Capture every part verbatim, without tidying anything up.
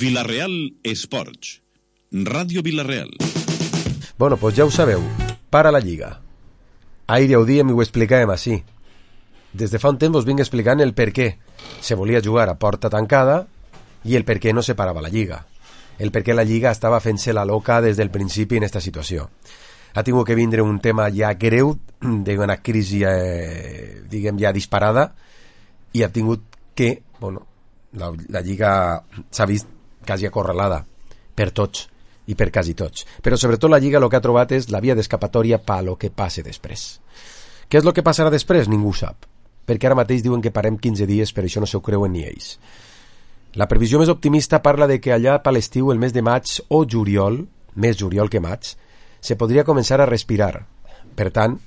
Vila-real Esports, Ràdio Vila-real. Bueno, pues ja ho sabeu, para la Lliga. Ahir ja ho diem i ho explicàvem així. Des de fa un temps us vinc explicant el per què se volia jugar a porta tancada i el per què no se parava la Lliga. El per què la Lliga estava fent-se la loca des del principi en aquesta situació. Ha tingut que vindre un tema ja greu, d'una crisi, eh, diguem, ja disparada, i ha tingut que, bueno, la, la Lliga s'ha vist quasi acorralada per tots i per quasi tots. Però sobretot la Lliga el que ha trobat és la via d'escapatòria per lo que passe després. Què és el que passarà després? Ningú sap. Perquè ara mateix diuen que parem quinze dies, però això no s'ho creuen ni ells. La previsió més optimista parla de que allà per l'estiu, el mes de maig o juliol, més juliol que maig, se podria començar a respirar. Per tant,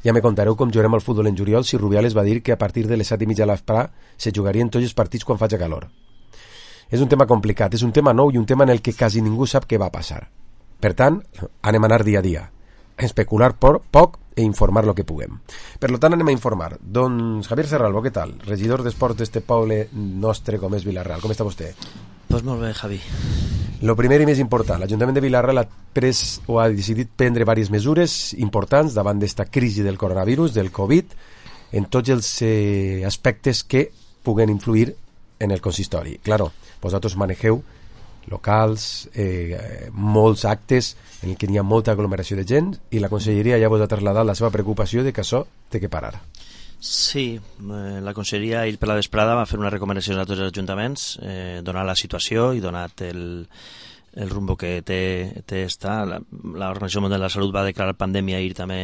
ja me contareu com jugarem al futbol en juliol si Rubiales va dir que a partir de les set i mitja a l'Asprà se jugarien tots els partits quan faci calor. És un tema complicat, és un tema nou i un tema en el que quasi ningú sap què va passar. Per tant, anem a anar dia a dia, especular por, poc e informar lo que puguem. Per tant, anem a informar. Doncs Javier Serralbo, què tal? Regidor d'Esports d'este poble nostre com és Vila-real. Com està vostè? Pues molt bé, Javi. Lo primer i més important, l'Ajuntament de Vila-real ha pres o ha decidit prendre diverses mesures importants davant d'esta crisi del coronavirus, del Covid, en tots els eh, aspectes que puguen influir en el consistori. Claro, vosaltres manegeu locals, eh, molts actes en què hi ha molta aglomeració de gent i la conselleria ja vos ha traslladat la seva preocupació de que això té que parar. Sí, eh, la conselleria ahir per la vesprada va fer una recomanació a tots els ajuntaments, eh, donat la situació i donat el, el rumbo que té, té esta. L'Organització Mundial de la Salut va declarar pandèmia ahir també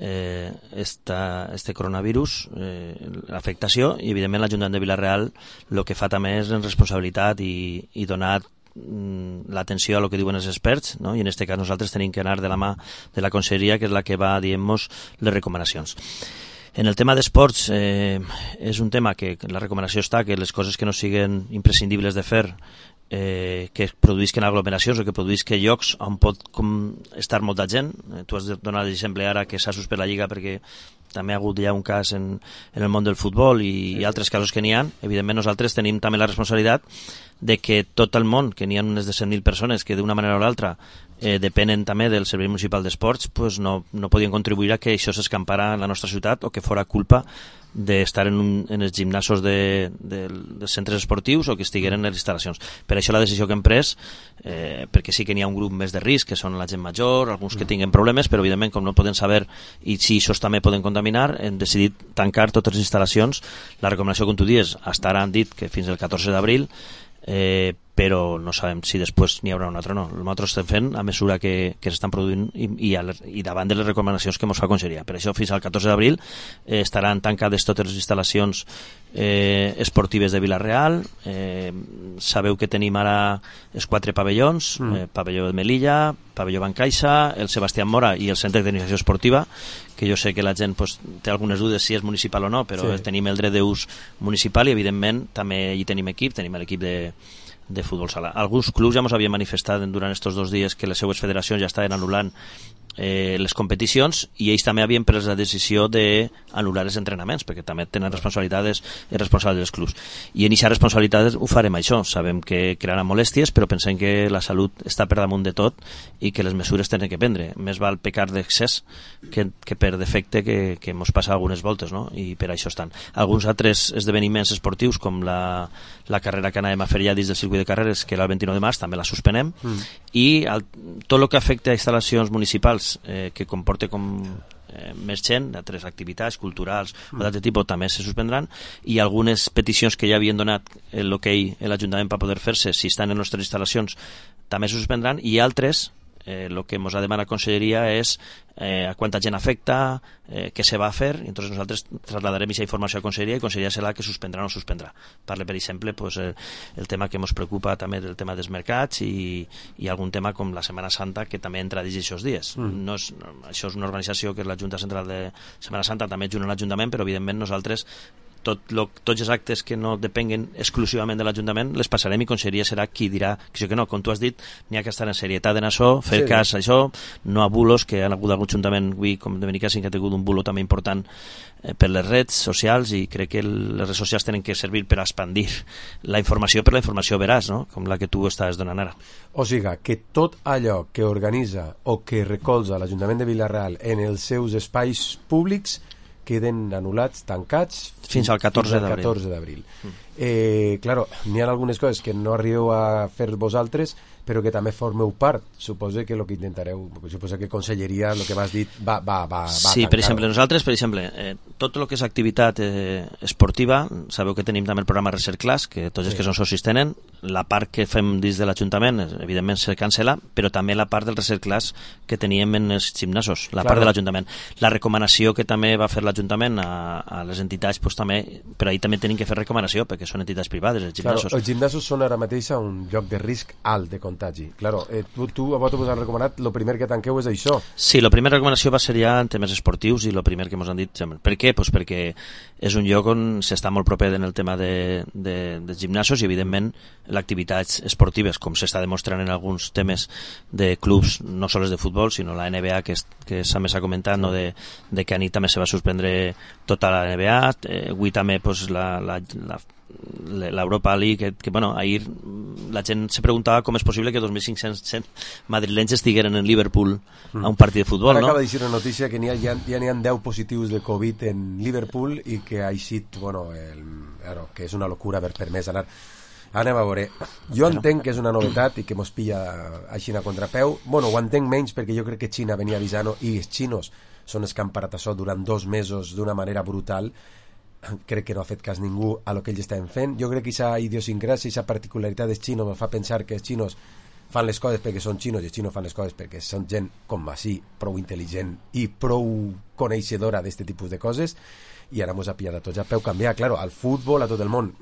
eh, esta, este coronavirus, eh, l'afectació, i evidentment l'Ajuntament de Vila-real el que fa també és en responsabilitat i, i donar l'atenció a lo que diuen els experts, no? I en aquest cas nosaltres tenim que anar de la mà de la conselleria, que és la que va dient-nos les recomanacions. En el tema d'esports, eh, és un tema que la recomanació està que les coses que no siguin imprescindibles de fer, eh, que produïsquen aglomeracions o que produïsquen llocs on pot com, estar molta gent. Eh, tu has donat l'exemple ara que s'ha suspès la Lliga perquè també ha hagut ja un cas en, en el món del futbol i, i altres casos que n'hi ha. Evidentment nosaltres tenim també la responsabilitat de que tot el món, que n'hi ha unes de cent mil persones que d'una manera o l'altra eh, depenen també del Servei Municipal d'Esports, pues no, no podien contribuir a que això s'escampara en la nostra ciutat o que fora culpa d'estar en, un, en els gimnasos de, de, dels centres esportius o que estigueren en les instal·lacions. Per això la decisió que hem pres, eh, perquè sí que n'hi ha un grup més de risc, que són la gent major, alguns que tinguen problemes, però evidentment com no poden saber i si això també poden contaminar, hem decidit tancar totes les instal·lacions. La recomanació, com tu dius, hasta ara han dit que fins el catorze d'abril, eh, però no sabem si després n'hi haurà un altre o no. Nosaltres estem fent a mesura que, que s'estan produint i, i, a, i davant de les recomanacions que ens fa conselleria. Per això fins al catorze d'abril eh, estaran tancades totes les instal·lacions eh, esportives de Vila-real. Eh, sabeu que tenim ara els quatre pavellons, mm. eh, pavelló de Melilla, pavelló Bancaixa, el Sebastián Mora i el Centre de Tecnificació Esportiva, que jo sé que la gent pues, té algunes dudes si és municipal o no, però sí. Tenim el dret d'ús municipal i evidentment també hi tenim equip, tenim l'equip de de futbol sala. Alguns clubs ja ens havien manifestat durant aquests dos dies que les seues federacions ja estaven anul·lant eh, les competicions i ells també havien pres la decisió d'anul·lar els entrenaments perquè també tenen responsabilitats i responsables dels clubs. I en aquesta responsabilitat ho farem això. Sabem que crearà molèsties, però pensem que la salut està per damunt de tot i que les mesures tenen que prendre. Més val pecar d'excés que, que per defecte que, que ens passa algunes voltes, no? I per això estan. Alguns altres esdeveniments esportius com la, la carrera que anàvem a fer ja dins del circuit de carreres, que era el vint-i-nou de març, també la suspenem, mm. i el, tot el que afecta a instal·lacions municipals eh, que comporta com eh, més gent, d'altres activitats culturals mm. o d'altre tipus també se suspendran, i algunes peticions que ja havien donat l'hoquei a l'Ajuntament per poder fer-se si estan en les nostres instal·lacions també se suspendran, i altres eh, el que ens ha demanat la conselleria és eh, a quanta gent afecta, eh, què se va a fer, i entonces nosaltres trasladarem aquesta informació a la conselleria i conselleria serà la que suspendrà o no suspendrà. Parle, per exemple, pues, eh, el tema que ens preocupa també del tema dels mercats i, i algun tema com la Setmana Santa que també entra dins aquests dies. Mm. No és, no, això és una organització que és la Junta Central de Setmana Santa, també és junt a l'Ajuntament, però evidentment nosaltres tot lo, tots els actes que no depenguen exclusivament de l'Ajuntament les passarem i Conselleria serà qui dirà que sí que no, com tu has dit, n'hi ha que estar en serietat en això, fer sí. cas a això, no a bulos, que han hagut algun ajuntament, avui com de Benicàssim, que ha tingut un bulo també important eh, per les redes socials, i crec que les redes socials tenen que servir per expandir la informació, per la informació veraç, no? Com la que tu estàs donant ara. O sigui, que tot allò que organitza o que recolza l'Ajuntament de Vila-real en els seus espais públics queden anul·lats, tancats fins al catorze d'abril. Mm. Eh, claro, n'hi ha algunes coses que no arribeu a fer vosaltres, però que també formeu part. Suposo que el que intentareu, suposo que Conselleria, el que m'has dit, va, va, va, va sí, per exemple, nosaltres, per exemple, eh, tot el que és activitat eh, esportiva, sabeu que tenim també el programa Research Class, que tots els sí. que són socis tenen, la part que fem dins de l'Ajuntament, evidentment se cancela, però també la part del Research Class que teníem en els gimnasos, la claro. part de l'Ajuntament. La recomanació que també va fer l'Ajuntament a, a les entitats, pues, també, però ahir també tenim que fer recomanació, perquè són entitats privades, els gimnasos. Claro, els gimnasos són ara mateix un lloc de risc alt de contagi. Claro, eh, tu, tu a vosaltres us han recomanat, el primer que tanqueu és això. Sí, la primera recomanació va ser ja en temes esportius, i el primer que ens han dit, per què? Pues perquè és un lloc on s'està molt proper en el tema de, de, dels gimnasos, i evidentment l'activitats esportives, com s'està demostrant en alguns temes de clubs, no sols de futbol, sinó la N B A, que, és, que també s'ha comentat, no? de, de que anit també se va suspendre tota la N B A, eh, avui també pues, la, la, la l'Europa League, que, que bueno, ahir la gent se preguntava com és possible que dos mil cinc-cents madrilenys estigueren en Liverpool a un partit de futbol. Ara no? Acaba de dir una notícia que n'hi ha, ja, ja n'hi ha deu positius de Covid en Liverpool, i que ha eixit, bueno, el, bueno, que és una locura haver permès anar. Anem a veure. Jo entenc que és una novetat i que mos pilla així a contrapeu. Bueno, ho entenc menys perquè jo crec que Xina venia avisant, i els xinos són els que han parat això durant dos mesos d'una manera brutal. Crec que no ha fet cas ningú a lo que ells estaven fent. Jo crec que aquesta idiosincràsia, aquesta particularitat dels xinos me fa pensar que els xinos fan les coses perquè són xinos, i els xinos fan les coses perquè són gent com així, prou intel·ligent i prou coneixedora d'aquest tipus de coses, i ara mos ha pillat a tots a peu canviar. Claro, al futbol, a tot el món,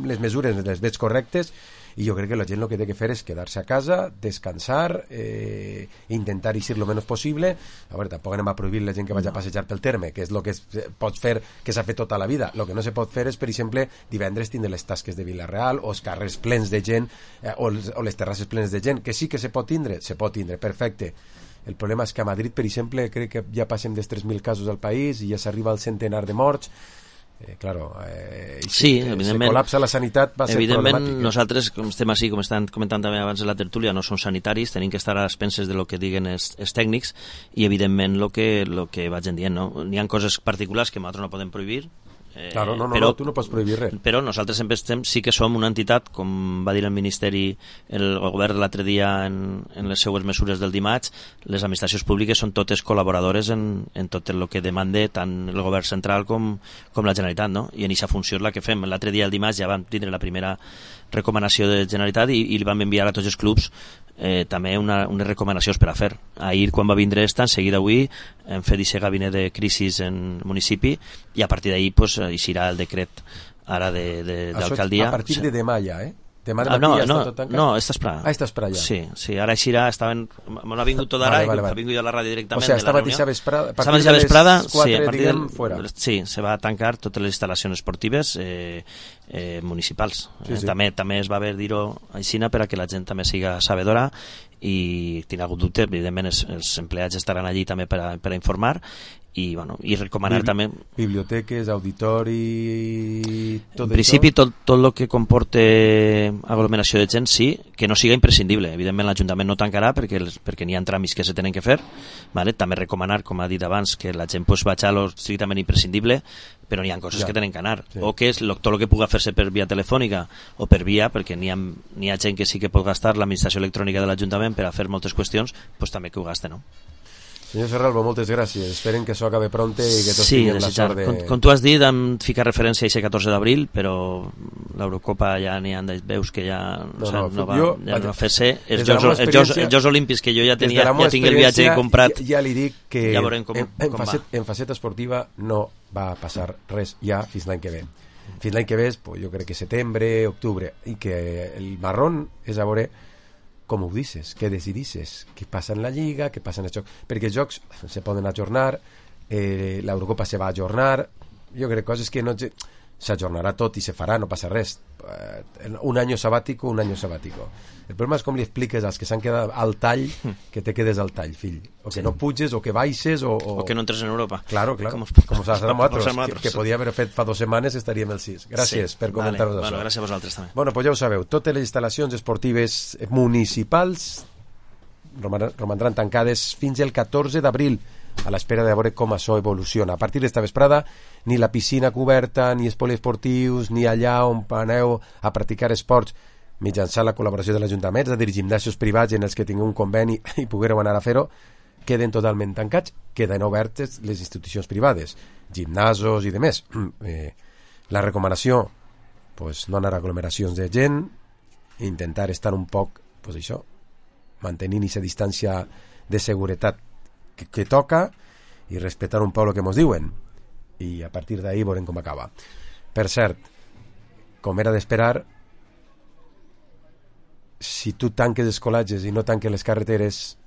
les mesures les veig correctes, i jo crec que la gent el que té que fer és quedar-se a casa, descansar, eh, intentar eixir lo menys possible. A veure, tampoc anem a prohibir la gent que vagi a passejar pel terme, que és el que es, pots fer, que s'ha fet tota la vida. El que no se pot fer és, per exemple, divendres tindre les tasques de Vila-real, o els carrers plens de gent, eh, o, o les terrasses plenes de gent, que sí que se pot tindre, se pot tindre, perfecte. El problema és que a Madrid, per exemple, crec que ja passem dels tres mil casos al país i ja s'arriba al centenar de morts. Eh, claro, eh, sí, si evidentment, se col·lapsa la sanitat va ser evidentment problemàtic. Nosaltres, com estem així, com estan comentant també abans de la tertúlia, no som sanitaris, tenim que estar a les penses de lo que diguen els, els tècnics, i evidentment lo que, lo que vaig dient, no? N'hi ha coses particulars que nosaltres no podem prohibir. Eh, claro, no, no, però, no, tu no pots prohibir res. Però nosaltres sempre estem, sí que som una entitat, com va dir el Ministeri, el, el govern l'altre dia en, en les seues mesures del dimarts, les administracions públiques són totes col·laboradores en, en tot el que demande tant el govern central com, com la Generalitat, no? I en aquesta funció és la que fem. L'altre dia, el dimarts, ja vam tindre la primera recomanació de Generalitat, i, i li vam enviar a tots els clubs eh, també una, unes recomanacions per a fer. Ahir, quan va vindre esta, en seguida avui hem fet aquest gabinet de crisis en municipi, i a partir d'ahir pues, eixirà el decret ara d'alcaldia. A partir de demà ja, eh? Demà de ah, no, ja no, està tot tancat? No, està esperada. Ah, està esperada ja. Sí, sí, ara eixirà, estaven, m'ho ha vingut tot d'ara, vale, vale, vale. Ha vingut a la ràdio directament. O sigui, esta mateixa vesprada, a partir de les quatre, sí, a partir diguem, del, fora. Sí, se va tancar totes les instal·lacions esportives eh, eh, municipals. Sí, eh, sí. També també es va haver dir-ho aixina per a que la gent també siga sabedora, i tiene algun dubte, evidentment els, els empleats estaran allí també per a, per a informar, i, bueno, i recomanar Bibli també... Biblioteques, auditori... Tot en principi tot, tot el que comporte aglomeració de gent sí, que no siga imprescindible. Evidentment l'Ajuntament no tancarà perquè, perquè n'hi ha tràmits que se tenen que fer, vale? També recomanar, com ha dit abans, que la gent pues, vagi a lo estrictament imprescindible, però n'hi ha coses ja. que tenen que anar, sí. o que és lo, tot el que puga fer-se per via telefònica o per via, perquè n'hi ha, n'hi ha gent que sí que pot gastar l'administració electrònica de l'Ajuntament per a fer moltes qüestions, pues també que ho gaste, no? Senyor Ferralbo, moltes gràcies. Esperen que això acabe pronte i que tots sí, tinguem la sort de... Com, com tu has dit, em fica referència a aquest catorze d'abril, però l'Eurocopa ja n'hi ha veus que ja no, no, o sigui, no, no va, jo, ja no va fer-se. Els Jocs, els, Jocs, els Jocs Olímpics que jo ja tenia, ja tinc el viatge comprat. Ja, ja li dic que ja veurem com, en, en, com facet, va. En faceta esportiva no va passar res ja fins l'any que ve. Fins l'any que ve, pues, jo crec que setembre, octubre, i que el marrón és a veure com ho dices, què decidisses, què passa en la Lliga, què passa en els Jocs, perquè els Jocs se poden ajornar, eh, l'Eurocopa se va ajornar, jo crec coses que no... s'ajornarà tot i se farà, no passa res. Un any sabàtico, un any sabàtico. El problema és com li expliques als que s'han quedat al tall que te quedes al tall, fill. O que sí. no puges, o que baixes, o... O, o que no entres en Europa. Claro, claro. Com, com, com s'ha de nosaltres, que, que podia haver fet fa dues setmanes estaríem el sis. Gràcies sí. per comentar-nos vale. això. Bueno, gràcies a vosaltres també. Bueno, pues ja ho sabeu, totes les instal·lacions esportives municipals romandran tancades fins el catorze d'abril a l'espera de veure com això evoluciona. A partir d'esta vesprada, ni la piscina coberta, ni els poliesportius, ni allà on aneu a practicar esports mitjançant la col·laboració de l'Ajuntament, és a dir, gimnasos privats en els que tingueu un conveni i poguereu anar a fer-ho, queden totalment tancats, queden obertes les institucions privades, gimnasos i demés. Eh, la recomanació, pues, no anar a aglomeracions de gent, intentar estar un poc, pues això, mantenint aquesta distància de seguretat que, que toca i respectar un poc el que ens diuen, i a partir d'ahí veurem com acaba. Per cert, com era d'esperar, si tu tanques els col·legis i no tanques les carreteres,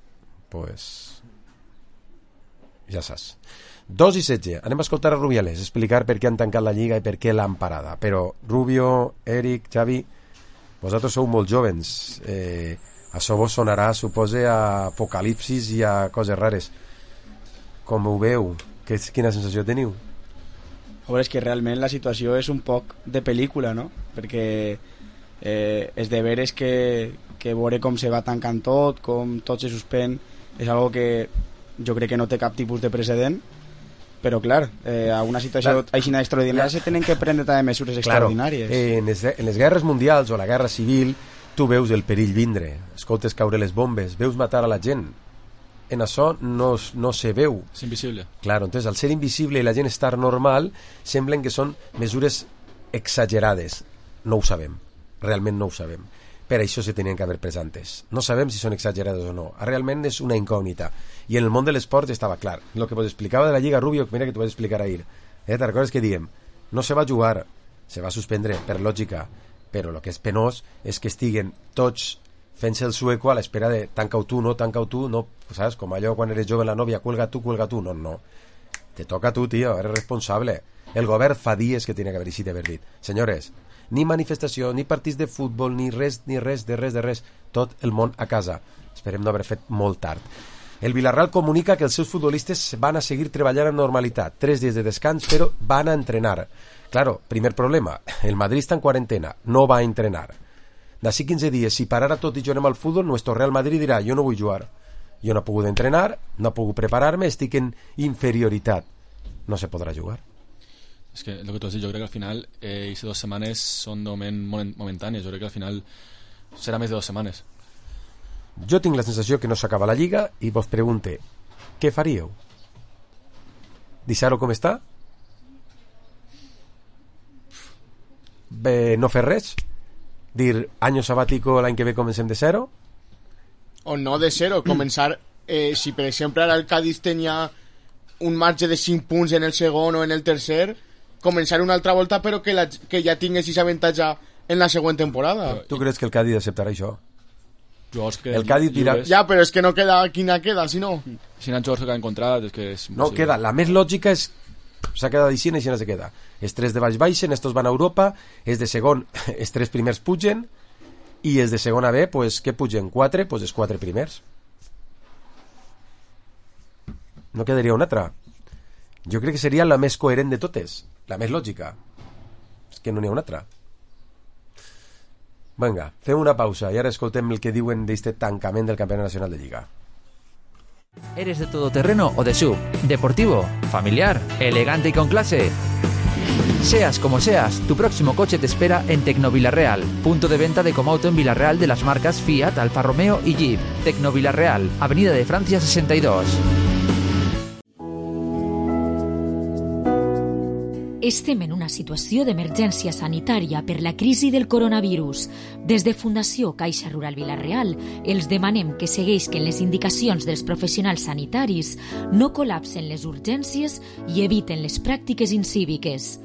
pues ja saps. Dos i setze, anem a escoltar a Rubiales explicar per què han tancat la Lliga i per què l'han parada. Però Rubio, Eric, Xavi, vosaltres sou molt jovens, eh, això vos sonarà, supose, a apocalipsis i a coses rares. Com ho veu? Que, quina sensació teniu? A veure, és que realment la situació és un poc de pel·lícula, no? Perquè eh, és de veres que, que veure com se va tancant tot, com tot se suspèn, és algo que jo crec que no té cap tipus de precedent, però clar, eh, a una situació la, així extraordinària la, se tenen que prendre també mesures extraordinàries. Claro, eh, en, les, en les guerres mundials o la guerra civil tu veus el perill vindre, escoltes caure les bombes, veus matar a la gent. En això no, no se veu. És invisible. Claro, entonces al ser invisible i la gent estar normal, semblen que són mesures exagerades. No ho sabem, realment no ho sabem. Per això se tenien que haver pres antes. No sabem si són exagerades o no. Realment és una incògnita. I en el món de l'esport estava clar. El que vos explicava de la Lliga, Rubio, mira que t'ho vaig explicar ahir. Eh, Te recordes que diem? No se va jugar, se va suspendre, per lògica, però el que és penós és que estiguen tots fent-se el sueco a l'espera de tanca-ho tu, no, tanca-ho tu, no, saps? Com allò quan eres jove la nòvia, cuelga tu, cuelga tu, no, no. Te toca a tu, tio, eres responsable. El govern fa dies que tiene que haver-hi d'haver dit. Senyores, ni manifestació, ni partits de futbol, ni res, ni res, de res, de res. Tot el món a casa. Esperem no haver fet molt tard. El Villarreal comunica que els seus futbolistes van a seguir treballant en normalitat. Tres dies de descans, però van a entrenar. Claro, primer problema, el Madrid està en quarantena, no va a entrenar. D'ací quinze dies, si parara tot i juguem al futbol, nuestro Real Madrid dirà, jo no vull jugar. Jo no he pogut entrenar, no he pogut preparar-me, estic en inferioritat. No se podrà jugar. És que el que tu has dit, jo crec que al final eh, aquestes dues setmanes són de moment momentànies. Jo crec que al final serà més de dues setmanes. Jo tinc la sensació que no s'acaba la Lliga i vos pregunte, què faríeu? Deixar-ho com està? Bé, no fer res? Dir, año sabático, l'any que ve comencem de zero? O no de zero, començar eh, si per exemple ara el Cádiz tenia un marge de cinc punts en el segon o en el tercer, començar una altra volta però que, la, que ja tingués aquest avantatge en la següent temporada. Tu creus que el Cádiz acceptarà això? Que el Cádiz dirà... Ja, però és que no queda quina queda, si no. Si no han jugadors que han encontrat, és que és... No, queda, la més lògica és s'ha quedat així i així no se queda. Els tres de baix baixen, estos van a Europa, els de segon, els tres primers pugen i els de segona B, pues, què pugen? Quatre? Pues els quatre primers. No quedaria una altra. Jo crec que seria la més coherent de totes, la més lògica. És que no n'hi ha una altra. Vinga, fem una pausa i ara escoltem el que diuen d'este tancament del Campionat Nacional de Lliga. ¿Eres de todoterreno o de sub? ¿Deportivo? ¿Familiar? ¿Elegante y con clase? Seas como seas, tu próximo coche te espera en Tecno Villarreal, punto de venta de Comauto en Villarreal de las marcas Fiat, Alfa Romeo y Jeep. Tecno Villarreal, Avenida de Francia sesenta y dos. Estem en una situació d'emergència sanitària per la crisi del coronavirus. Des de Fundació Caixa Rural Villarreal els demanem que segueixin les indicacions dels professionals sanitaris, no col·lapsen les urgències i eviten les pràctiques incíviques.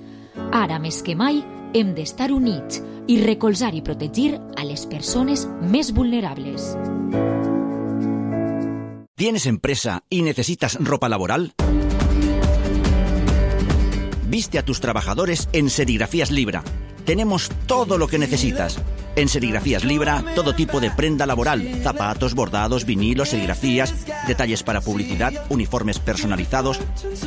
Ara més que mai hem d'estar units i recolzar i protegir a les persones més vulnerables. ¿Tienes empresa y necesitas ropa laboral? Viste a tus trabajadores en Serigrafías Libra. Tenemos todo lo que necesitas. En Serigrafías Libra, todo tipo de prenda laboral, zapatos, bordados, vinilos, serigrafías, detalles para publicidad, uniformes personalizados.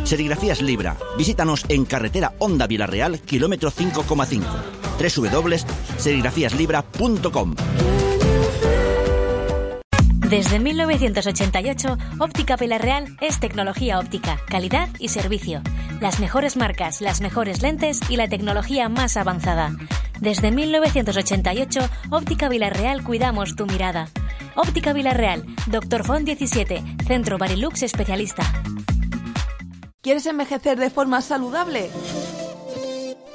Serigrafías Libra. Visítanos en carretera Honda Vilarreal, kilómetro cinco coma cinco. doble u doble u doble u punto serigrafías libra punto com. Desde mil novecientos ochenta y ocho, Óptica Vilarreal es tecnología óptica, calidad y servicio. Las mejores marcas, las mejores lentes y la tecnología más avanzada. Desde mil novecientos ochenta y ocho, Óptica Vilarreal cuidamos tu mirada. Óptica Vilarreal, Doctor Font diecisiete, Centro Barilux especialista. ¿Quieres envejecer de forma saludable?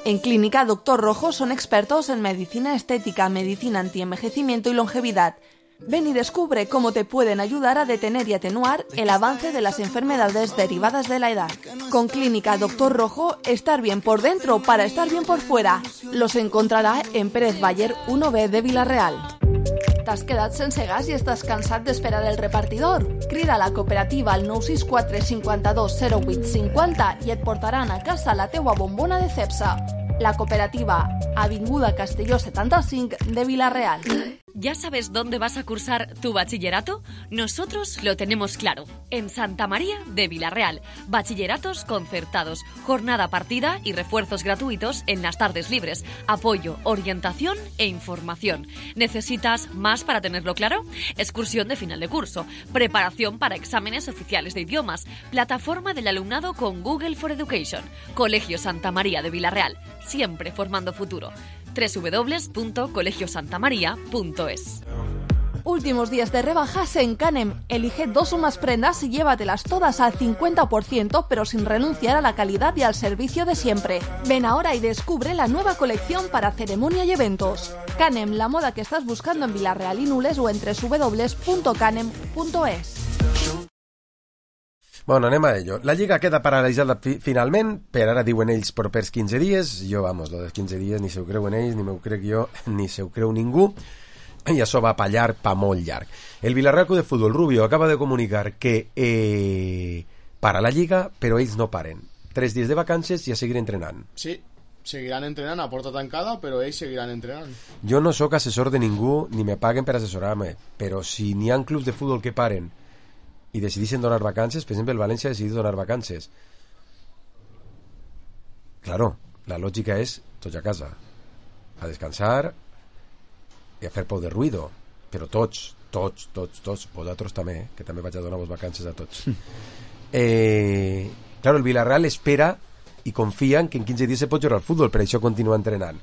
En Clínica Doctor Rojo son expertos en medicina estética, medicina antienvejecimiento y longevidad. Ven y descubre cómo te pueden ayudar a detener y atenuar el avance de las enfermedades derivadas de la edad. Con Clínica Doctor Rojo, estar bien por dentro para estar bien por fuera. Los encontrarà en Pérez Bayer uno B de Vilarreal. T'has quedat sense gas i estàs cansat d'esperar el repartidor? Crida a la cooperativa al nou sis quatre cinquanta-dos zero vuit cinquanta i et portaran a casa la teua bombona de Cepsa. La cooperativa, Avinguda Castelló setanta-cinc de Vilarreal. ¿Ya sabes dónde vas a cursar tu bachillerato? Nosotros lo tenemos claro. En Santa María de Vilarreal. Bachilleratos concertados, jornada partida y refuerzos gratuitos en las tardes libres. Apoyo, orientación e información. ¿Necesitas más para tenerlo claro? Excursión de final de curso. Preparación para exámenes oficiales de idiomas. Plataforma del alumnado con Google for Education. Colegio Santa María de Vilarreal. Siempre formando futuro. doble u doble u doble u punto colegio santa maría punto es. Últimos días de rebajas en Canem. Elige dos o más prendas y llévatelas todas al cincuenta por ciento, pero sin renunciar a la calidad y al servicio de siempre. Ven ahora y descubre la nueva colección para ceremonia y eventos. Canem, la moda que estás buscando en Vilarreal y Nules o en doble u doble u doble u punto canem punto es. Bueno, anem a ello. La Lliga queda paralitzada fi finalment, per ara diuen ells propers quinze dies. Jo, vamos, lo dels quinze dies ni se ho creuen ells, ni m'ho crec jo, ni se ho creu ningú. I això va pa llarg, pa molt llarg. El Villarreal Club de Fútbol, Rubio, acaba de comunicar que eh, para la Lliga, però ells no paren. Tres dies de vacances i a seguir entrenant. Sí, seguiran entrenant a porta tancada, però ells seguiran entrenant. Jo no sóc assessor de ningú, ni me paguen per assessorar-me, però si n'hi ha clubs de futbol que paren i decidissin donar vacances, per exemple el València ha decidit donar vacances, claro, la lògica és tots a casa a descansar i a fer por de ruido, però tots tots, tots, tots, vosaltres també eh? que també vaig a donar-vos vacances a tots eh, claro, el Villarreal espera i confia en que en quinze dies se pot jugar al futbol, per això continua entrenant.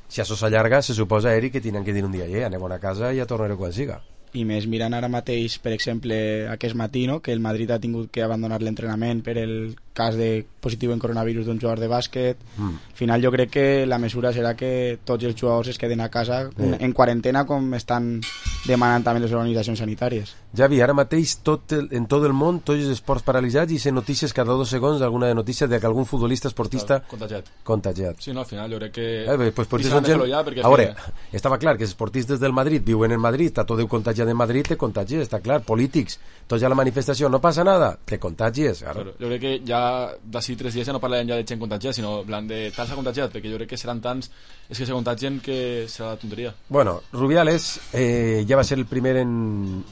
Si això s'allarga, se suposa, Eric, que tenen que dir un dia, eh, anem a una casa i ja tornaré quan siga. I més mirant ara mateix, per exemple, aquest matí, no? Que el Madrid ha tingut que abandonar l'entrenament per el cas de positiu en coronavirus d'un jugador de bàsquet. Mm. Al final jo crec que la mesura serà que tots els jugadors es queden a casa mm. en quarantena, com estan demanant també les organitzacions sanitàries. Javi, ara mateix tot el, en tot el món, tots els esports paralitzats, i se notícies cada dos segons, alguna notícia de que algun futbolista esportista contagiat. Contagiat. Sí, no, al final jo crec que... Eh, pues, pues, gent... ja, perquè a veure, que... estava clar que els esportistes del Madrid viuen en Madrid, està tot contagiat en Madrid, te contagies, està clar. Polítics, tots ja la manifestació, no passa nada, te contagies. Claro. Jo crec que ja d'ací tres dies ja no parlarem ja de gent contagiada, sinó plan de tal s'ha contagiat, perquè jo crec que seran tants és que se contagien que serà la tonteria. Bueno, Rubiales eh, ja va ser el primer en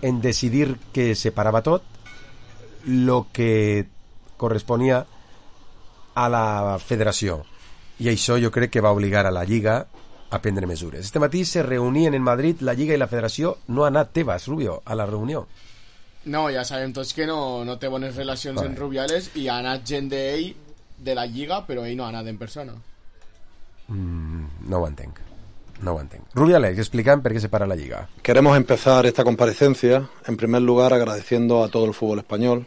en decidir que se parava tot lo que corresponia a la federació, i això jo crec que va obligar a la Lliga a prendre mesures. Este matí se reunien en Madrid la Lliga i la Federació. No ha anat Tebas, Rubio, a la reunió. No, ja sabem tots que no, no té bones relacions vale. amb Rubiales, i ha anat gent d'ell de la Lliga, però ell no ha anat en persona. Mm, no ho entenc. No ho entenc. Rubiales, explican por qué se para la Liga. Queremos empezar esta comparecencia, en primer lugar, agradeciendo a todo el fútbol español,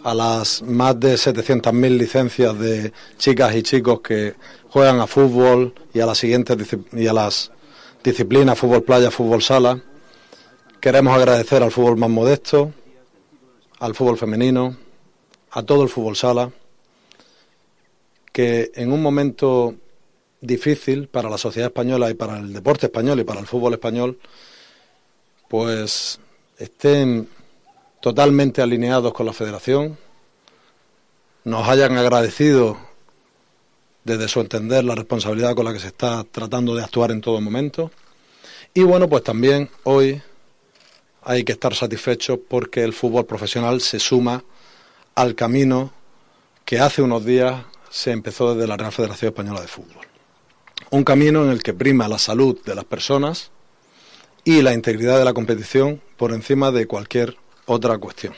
a las más de setecientas mil licencias de chicas y chicos que juegan a fútbol y a las siguientes y a las disciplinas fútbol playa, fútbol sala. Queremos agradecer al fútbol más modesto, al fútbol femenino, a todo el fútbol sala, que en un momento difícil para la sociedad española y para el deporte español y para el fútbol español, pues estén totalmente alineados con la federación, nos hayan agradecido desde su entender la responsabilidad con la que se está tratando de actuar en todo momento. Y bueno, pues también hoy hay que estar satisfechos porque el fútbol profesional se suma al camino que hace unos días se empezó desde la Real Federación Española de Fútbol. Un camino en el que prima la salud de las personas y la integridad de la competición por encima de cualquier otra cuestión.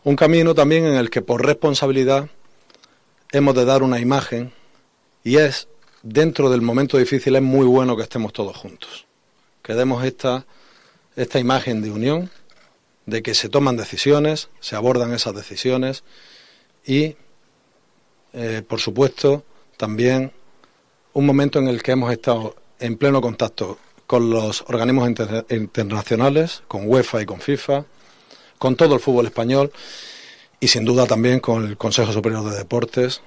Un camino también en el que por responsabilidad hemos de dar una imagen, y es, dentro del momento difícil, es muy bueno que estemos todos juntos. Que demos esta, esta imagen de unión, de que se toman decisiones, se abordan esas decisiones y, eh, por supuesto, también un momento en el que hemos estado en pleno contacto con los organismos inter- internacionales, con UEFA y con FIFA, con todo el fútbol español y sin duda también con el Consejo Superior de Deportes,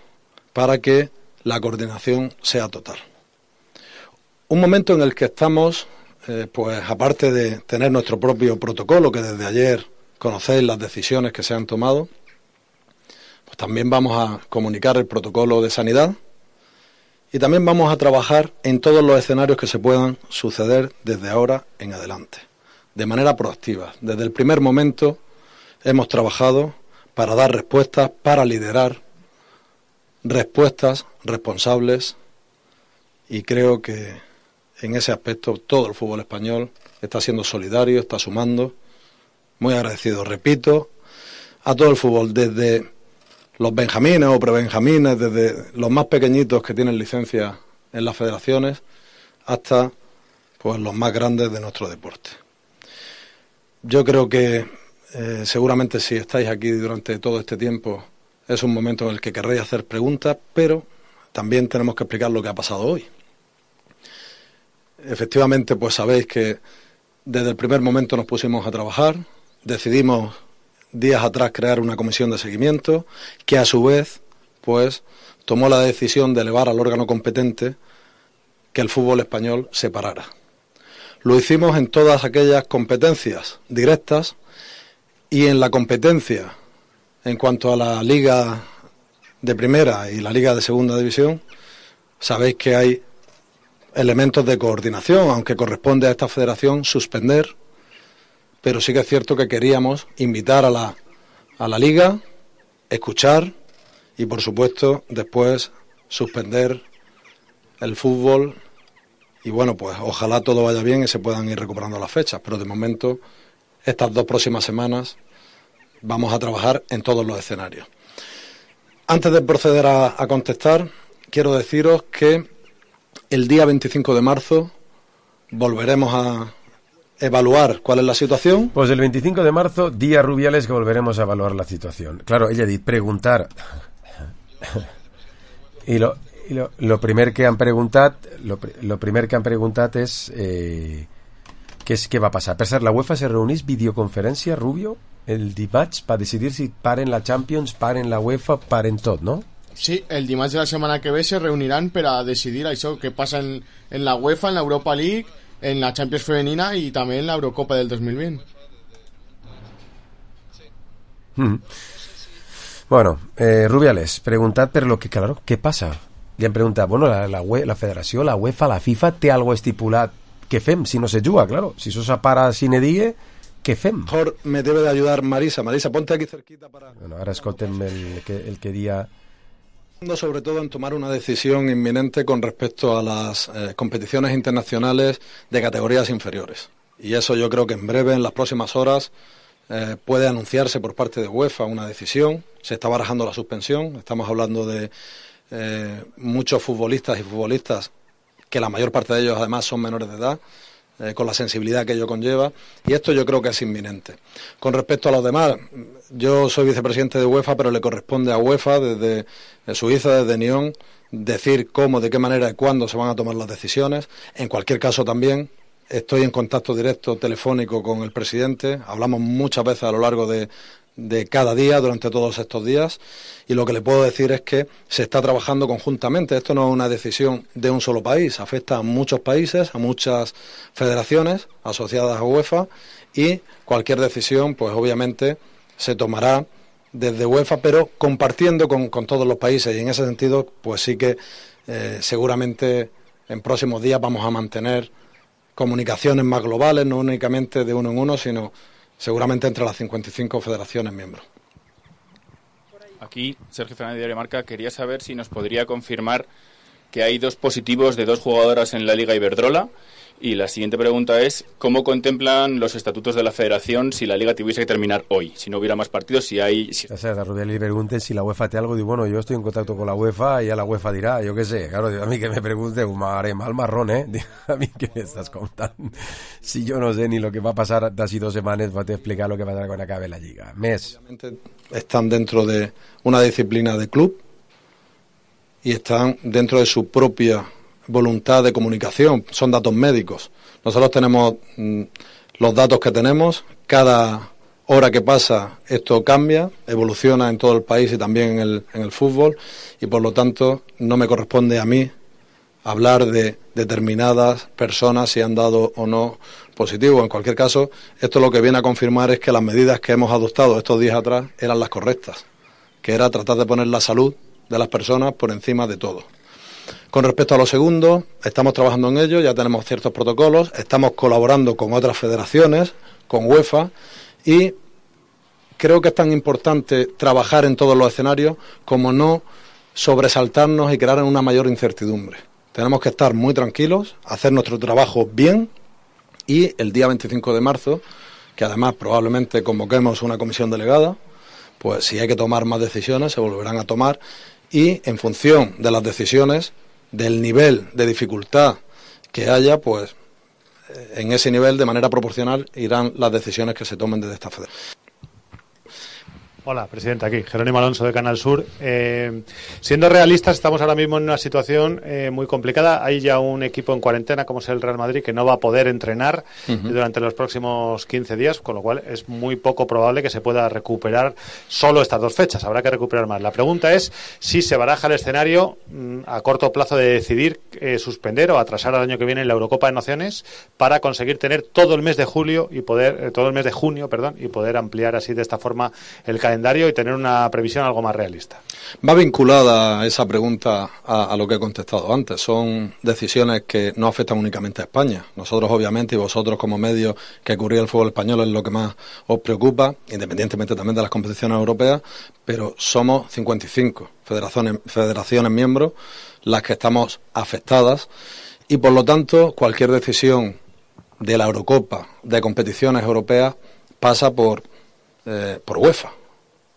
para que la coordinación sea total. Un momento en el que estamos, eh, pues aparte de tener nuestro propio protocolo, que desde ayer conocéis las decisiones que se han tomado, pues también vamos a comunicar el protocolo de sanidad y también vamos a trabajar en todos los escenarios que se puedan suceder desde ahora en adelante, de manera proactiva. Desde el primer momento hemos trabajado para dar respuestas, para liderar respuestas responsables, y creo que en ese aspecto todo el fútbol español está siendo solidario, está sumando. Muy agradecido, repito, a todo el fútbol, desde los benjamines o prebenjamines, desde los más pequeñitos que tienen licencia en las federaciones, hasta pues los más grandes de nuestro deporte. Yo creo que eh, seguramente si estáis aquí durante todo este tiempo es un momento en el que querréis hacer preguntas, pero también tenemos que explicar lo que ha pasado hoy. Efectivamente, pues sabéis que desde el primer momento nos pusimos a trabajar, decidimos días atrás crear una comisión de seguimiento, que a su vez, pues, tomó la decisión de elevar al órgano competente que el fútbol español se parara. Lo hicimos en todas aquellas competencias directas y en la competencia en cuanto a la Liga de Primera y la Liga de Segunda División. Sabéis que hay elementos de coordinación, aunque corresponde a esta federación suspender, pero sí que es cierto que queríamos invitar a la, a la Liga, escuchar y, por supuesto, después suspender el fútbol. Y bueno, pues ojalá todo vaya bien y se puedan ir recuperando las fechas, pero de momento, estas dos próximas semanas, vamos a trabajar en todos los escenarios. Antes de proceder a, a contestar, quiero deciros que el día veinticinco de marzo volveremos a evaluar cuál es la situación. Pues el veinticinco de marzo, día Rubiales, que volveremos a evaluar la situación. Claro, ella dice preguntar. I lo, i lo, lo primer que han preguntat, lo, lo primer que han preguntat és eh, què, és, què va passar. Per cert, la UEFA se reunís videoconferència, Rubio, el dimarts, per decidir si paren la Champions, paren la UEFA, paren tot, no? Sí, el dimarts de la setmana que ve se reuniran per a decidir això que passa en, en la UEFA, en la Europa League, en la Champions femenina y también en la Eurocopa del dos mil veinte. Mm. Bueno, eh, Rubiales, preguntat per lo que, claro, què passa? Li han preguntat, bueno, la, la, UE, la federació, la UEFA, la FIFA, té algo estipulat. Què fem si no se juga, claro? Si eso se para sine die, què fem? Mejor me debe de ayudar Marisa. Marisa, ponte aquí cerquita para... Bueno, ara escoltem el que, el que dia... Sobre todo en tomar una decisión inminente con respecto a las eh, competiciones internacionales de categorías inferiores. Y eso yo creo que en breve, en las próximas horas, eh, puede anunciarse por parte de UEFA una decisión. Se está barajando la suspensión. Estamos hablando de eh, muchos futbolistas y futbolistas que la mayor parte de ellos además son menores de edad, eh, con la sensibilidad que ello conlleva, y esto yo creo que es inminente. Con respecto a los demás, yo soy vicepresidente de UEFA, pero le corresponde a UEFA desde Suiza, desde Nyon, decir cómo, de qué manera y cuándo se van a tomar las decisiones. En cualquier caso también estoy en contacto directo telefónico con el presidente, hablamos muchas veces a lo largo de, de cada día, durante todos estos días, y lo que le puedo decir es que se está trabajando conjuntamente. Esto no es una decisión de un solo país, afecta a muchos países, a muchas federaciones asociadas a UEFA, y cualquier decisión, pues obviamente, se tomará desde UEFA, pero compartiendo con, con todos los países, y en ese sentido pues sí que eh, seguramente en próximos días vamos a mantener comunicaciones más globales, no únicamente de uno en uno, sino seguramente entre las cincuenta y cinco federaciones miembros. Aquí, Sergio Fernández de Diario Marca, quería saber si nos podría confirmar que hay dos positivos de dos jugadoras en la Liga Iberdrola. Y la siguiente pregunta es, ¿cómo contemplan los estatutos de la federación si la Liga tuviese que terminar hoy? Si no hubiera más partidos, si hay... Si... O sea, a Rubiales le pregunten si la UEFA te algo, digo, bueno, yo estoy en contacto con la UEFA y ya la UEFA dirá, yo qué sé, claro, a mí que me pregunte, un haré mal marrón, ¿eh? A mí que me estás contando. Si yo no sé ni lo que va a pasar de así dos semanas, voy a explicar lo que pasará cuando acabe la Liga. Mes. Están dentro de una disciplina de club y están dentro de su propia voluntad de comunicación, son datos médicos. Nosotros tenemos mm, los datos que tenemos, cada hora que pasa esto cambia, evoluciona en todo el país y también en el, en el fútbol, y por lo tanto no me corresponde a mí hablar de determinadas personas si han dado o no positivo. En cualquier caso, esto lo que viene a confirmar es que las medidas que hemos adoptado estos días atrás eran las correctas, que era tratar de poner la salud de las personas por encima de todo. Con respecto a lo segundo, estamos trabajando en ello, ya tenemos ciertos protocolos, estamos colaborando con otras federaciones, con UEFA, y creo que es tan importante trabajar en todos los escenarios como no sobresaltarnos y crear una mayor incertidumbre. Tenemos que estar muy tranquilos, hacer nuestro trabajo bien, y el día veinticinco de marzo, que además probablemente convoquemos una comisión delegada, pues si hay que tomar más decisiones se volverán a tomar, y en función de las decisiones, del nivel de dificultad que haya, pues en ese nivel de manera proporcional irán las decisiones que se tomen desde esta federación. Hola, presidente, aquí, Jerónimo Alonso de Canal Sur. Eh, siendo realistas, estamos ahora mismo en una situación eh, muy complicada. Hay ya un equipo en cuarentena, como es el Real Madrid, que no va a poder entrenar uh-huh. durante los próximos quince días, con lo cual es muy poco probable que se pueda recuperar solo estas dos fechas. Habrá que recuperar más. La pregunta es si se baraja el escenario mmm, a corto plazo de decidir eh, suspender o atrasar al año que viene la Eurocopa de Naciones para conseguir tener todo el mes de julio y poder, eh, todo el mes de junio, perdón, y poder ampliar así de esta forma el calendario y tener una previsión algo más realista. Va vinculada esa pregunta a, a lo que he contestado antes. Son decisiones que no afectan únicamente a España. Nosotros, obviamente, y vosotros como medios que cubrís el fútbol español es lo que más os preocupa, independientemente también de las competiciones europeas, pero somos cincuenta y cinco federaciones, federaciones miembros las que estamos afectadas, y por lo tanto cualquier decisión de la Eurocopa, de competiciones europeas, pasa por, eh, por UEFA.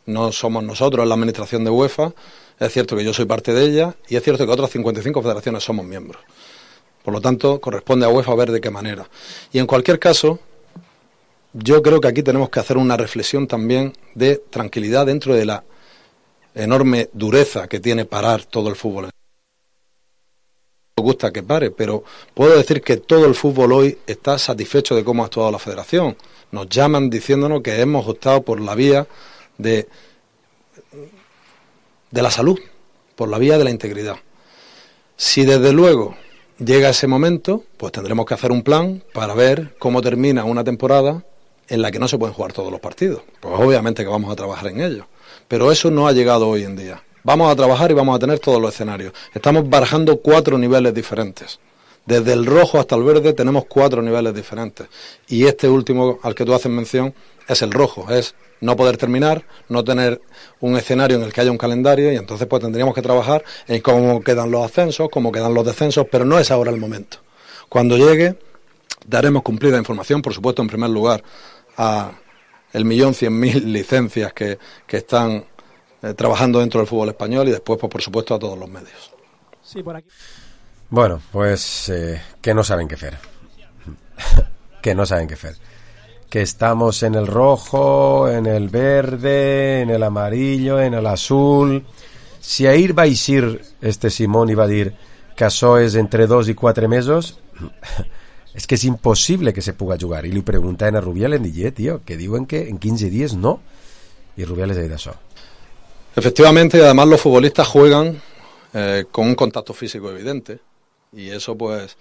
No somos nosotros, es la administración de UEFA. Es cierto que yo soy parte de ella y es cierto que otras cincuenta y cinco federaciones somos miembros. Por lo tanto, corresponde a UEFA ver de qué manera. Y en cualquier caso, yo creo que aquí tenemos que hacer una reflexión también de tranquilidad dentro de la enorme dureza que tiene parar todo el fútbol. Me gusta que pare, pero puedo decir que todo el fútbol hoy está satisfecho de cómo ha actuado la federación. Nos llaman diciéndonos que hemos optado por la vía de, de la salud, por la vía de la integridad. Si desde luego llega ese momento, pues tendremos que hacer un plan para ver cómo termina una temporada en la que no se pueden jugar todos los partidos. Pues obviamente que vamos a trabajar en ello, pero eso no ha llegado hoy en día. Vamos a trabajar y vamos a tener todos los escenarios. Estamos barajando cuatro niveles diferentes. Desde el rojo hasta el verde tenemos cuatro niveles diferentes. Y este último al que tú haces mención es el rojo, es no poder terminar, no tener un escenario en el que haya un calendario, y entonces pues tendríamos que trabajar en cómo quedan los ascensos, cómo quedan los descensos, pero no es ahora el momento. Cuando llegue, daremos cumplida información, por supuesto, en primer lugar, a el millón cien mil licencias que, que están eh, trabajando dentro del fútbol español, y después, pues por supuesto, a todos los medios. Sí, por aquí. Bueno, pues eh, que no saben qué hacer. que no saben qué hacer. Que estamos en el rojo, en el verde, en el amarillo, en el azul. Si ahir va a ir este Simón y va a dir que això és entre dos i quatre mesos, és que és impossible que se puga jugar. I li preguntaven a Rubiales, i tío, que diuen que en quince días no. Y Rubiales ha dit això. Efectivamente, y además los futbolistas juegan eh, con un contacto físico evidente, y eso pues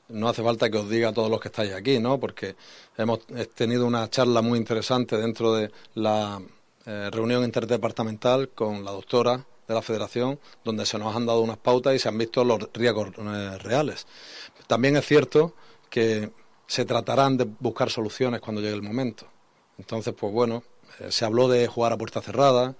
no hace falta que os diga a todos los que estáis aquí, ¿no? Porque hemos tenido una charla muy interesante dentro de la eh, reunión interdepartamental con la doctora de la Federación, donde se nos han dado unas pautas y se han visto los riesgos eh, reales. También es cierto que se tratarán de buscar soluciones cuando llegue el momento. Entonces, pues bueno, eh, se habló de jugar a puerta cerrada,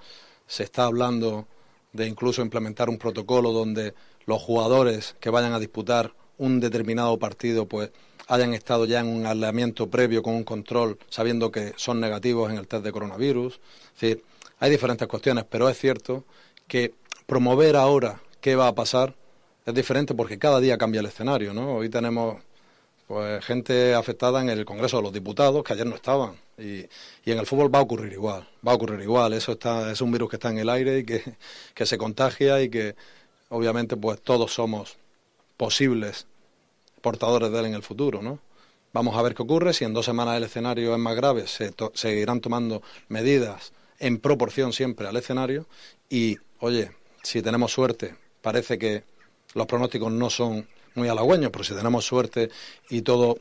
se está hablando de incluso implementar un protocolo donde los jugadores que vayan a disputar un determinado partido pues hayan estado ya en un aislamiento previo con un control, sabiendo que son negativos en el test de coronavirus. Es decir, hay diferentes cuestiones, pero es cierto que promover ahora qué va a pasar es diferente porque cada día cambia el escenario, ¿no? Hoy tenemos pues gente afectada en el Congreso de los Diputados que ayer no estaban y, y en el fútbol va a ocurrir igual, va a ocurrir igual. Eso está, es un virus que está en el aire y que, que se contagia y que obviamente pues todos somos posibles portadores de él en el futuro, ¿no? Vamos a ver qué ocurre. Si en dos semanas el escenario es más grave, se to- seguirán tomando medidas en proporción siempre al escenario y, oye, si tenemos suerte, parece que los pronósticos no son muy halagüeños, pero si tenemos suerte y todo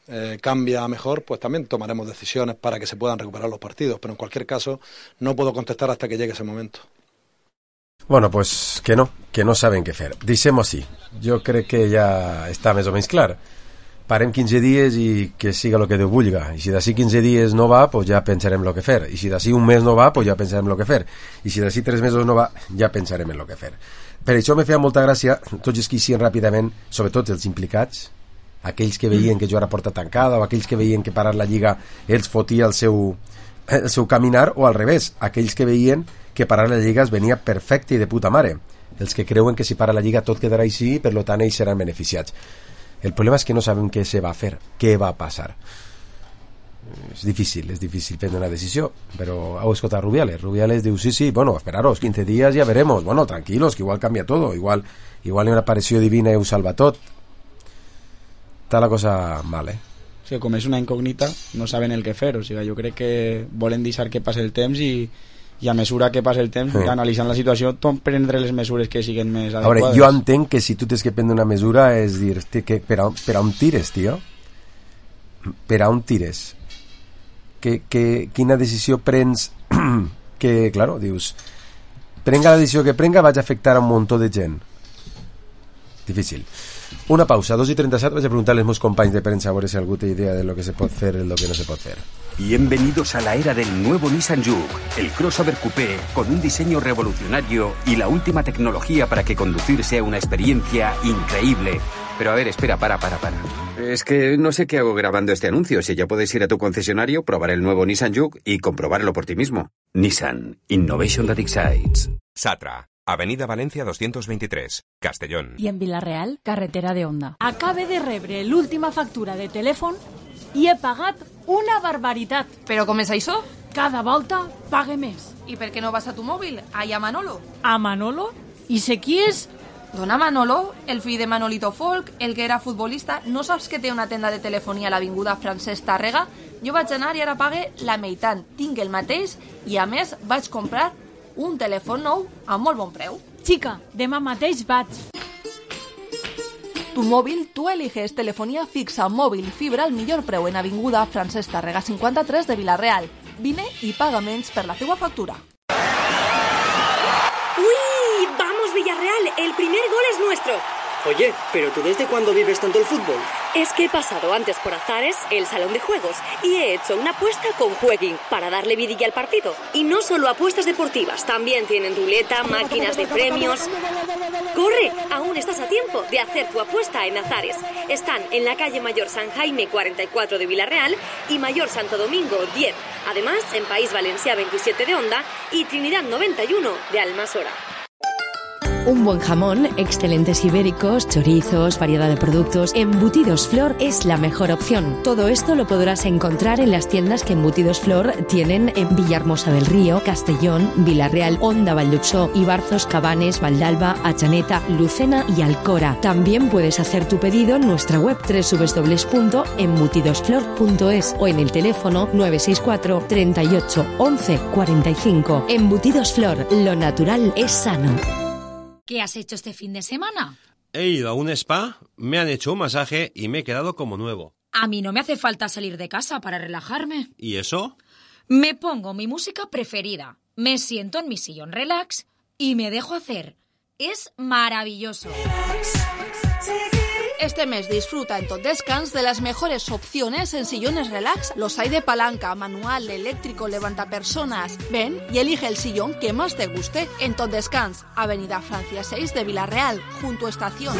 eh, cambia a mejor, pues también tomaremos decisiones para que se puedan recuperar los partidos, pero en cualquier caso no puedo contestar hasta que llegue ese momento. Bueno, pues que no, que no saben què fer. Deixem-ho així. Jo crec que ja està més o menys clar. Parem quinze dies i que siga el que Déu vulga. I si d'ací quinze dies no va, pues ja pensarem el que fer. I si d'ací un mes no va, pues ja pensarem el que fer. I si d'ací tres mesos no va, ja pensarem en el que fer. Per això me feia molta gràcia tots els que hi siguin ràpidament, sobretot els implicats, aquells que veien que jugar a porta tancada o aquells que veien que parar la Lliga els fotia el seu, el seu caminar, o al revés, aquells que veien que parar la Lliga es venia perfecte i de puta mare, els que creuen que si para la Lliga tot quedarà així i per lo tant ells seran beneficiats. El problema és que no sabem què se va fer, què va passar. És difícil, és difícil prendre una decisió, però heu escoltat Rubiales. Rubiales diu, sí, sí, bueno, esperaros, quince días ya veremos. Bueno, tranquilos, que igual cambia todo, igual, igual hi ha una aparició divina i ho salva tot. Està la cosa mal, eh? Sí, com és una incògnita, no saben el que fer, o sigui, jo crec que volen deixar que passi el temps i i a mesura que passa el temps, sí, analitzant la situació, tot prendre les mesures que siguin més adequades. A veure, jo entenc que si tu tens que prendre una mesura és dir, que per, a, per a on tires, tio? Per a on tires? Que, que, quina decisió prens que, claro, dius, prenga la decisió que prenga vaig a afectar a un muntó de gent. Difícil. Una pausa, dos i trenta-set, vaig a preguntar a los meus companys de prensa a veure si algú té idea de lo que se pot fer i lo que no se pot fer. Bienvenidos a la era del nuevo Nissan Juke, el crossover coupé con un diseño revolucionario y la última tecnología para que conducir sea una experiencia increíble. Pero a ver, espera, para, para, para. Es que no sé qué hago grabando este anuncio. Si ya puedes ir a tu concesionario, probar el nuevo Nissan Juke y comprobarlo por ti mismo. Nissan, Innovation that excites. Satra, Avenida Valencia doscientos veintitrés, Castellón. I en Vila-real, carretera de Onda. Acabe de rebre l'última factura de telèfon i he pagat una barbaritat. Però com és això? Cada volta pague més. I per què no vas a tu mòbil? Allà a Manolo. A Manolo? I sé qui és? Dona Manolo, el fill de Manolito Folk, el que era futbolista. No saps que té una tenda de telefonia a l'avinguda Francesc Tàrrega? Jo vaig anar i ara pague la meitat. Tinc el mateix i a més vaig comprar un telèfon nou a molt bon preu. Xica, demà mateix vaig. Tu mòbil, tu eliges telefonía fixa, mòbil i fibra al millor preu en avinguda Francesc Tàrrega cinquanta-tres de Vila-real. Vine i paga menys per la teua factura. ¡Uy! ¡Vamos, Villarreal! El primer gol es nuestro. Oye, ¿pero tú desde cuándo vives tanto el fútbol? Es que he pasado antes por Azares, el salón de juegos, y he hecho una apuesta con Jueguin para darle vidilla al partido. Y no solo apuestas deportivas, también tienen ruleta, máquinas de premios. ¡Corre! Aún estás a tiempo de hacer tu apuesta en Azares. Están en la calle Mayor San Jaime cuarenta y cuatro de Vila-real y Mayor Santo Domingo diez. Además, en País Valencia veintisiete de Onda y Trinidad noventa y uno de Almasora. Un buen jamón, excelentes ibéricos, chorizos, variedad de productos. Embutidos Flor es la mejor opción. Todo esto lo podrás encontrar en las tiendas que Embutidos Flor tienen en Villahermosa del Río, Castellón, Vila-real, Onda, Valldupsó, Ibarzos, Cabanes, Valdalba, Atxaneta, Lucena y Alcora. También puedes hacer tu pedido en nuestra web doble u doble u doble u punto embutidosflor punto es o en el teléfono nueve seis cuatro, treinta y ocho, once, cuarenta y cinco. Embutidos Flor, lo natural es sano. ¿Qué has hecho este fin de semana? He ido a un spa, me han hecho un masaje y me he quedado como nuevo. A mí no me hace falta salir de casa para relajarme. ¿Y eso? Me pongo mi música preferida, me siento en mi sillón relax y me dejo hacer. Es maravilloso. Este mes disfruta en Tot Descans de las mejores opciones en sillones relax. Los hay de palanca, manual, eléctrico, levantapersonas. Ven y elige el sillón que más te guste en Tot Descans, Avenida Francia seis de Villarreal, junto a Estación.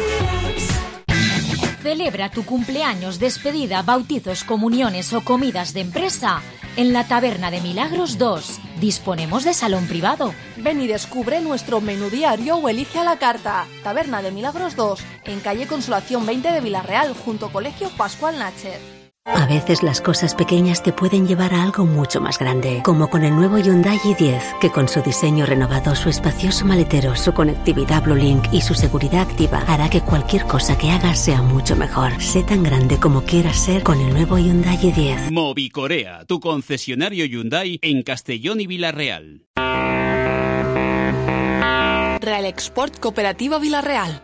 Celebra tu cumpleaños, despedida, bautizos, comuniones o comidas de empresa en la Taberna de Milagros dos. Disponemos de salón privado. Ven y descubre nuestro menú diario o elige a la carta. Taberna de Milagros dos, en calle Consolación veinte de Villarreal, junto a Colegio Pascual Nacher. A veces las cosas pequeñas te pueden llevar a algo mucho más grande, como con el nuevo Hyundai i diez, que con su diseño renovado, su espacioso maletero, su conectividad Bluelink y su seguridad activa hará que cualquier cosa que hagas sea mucho mejor. Sé tan grande como quieras ser con el nuevo Hyundai i diez. Movicorea, tu concesionario Hyundai en Castellón y Villarreal. Real Export Cooperativa Villarreal.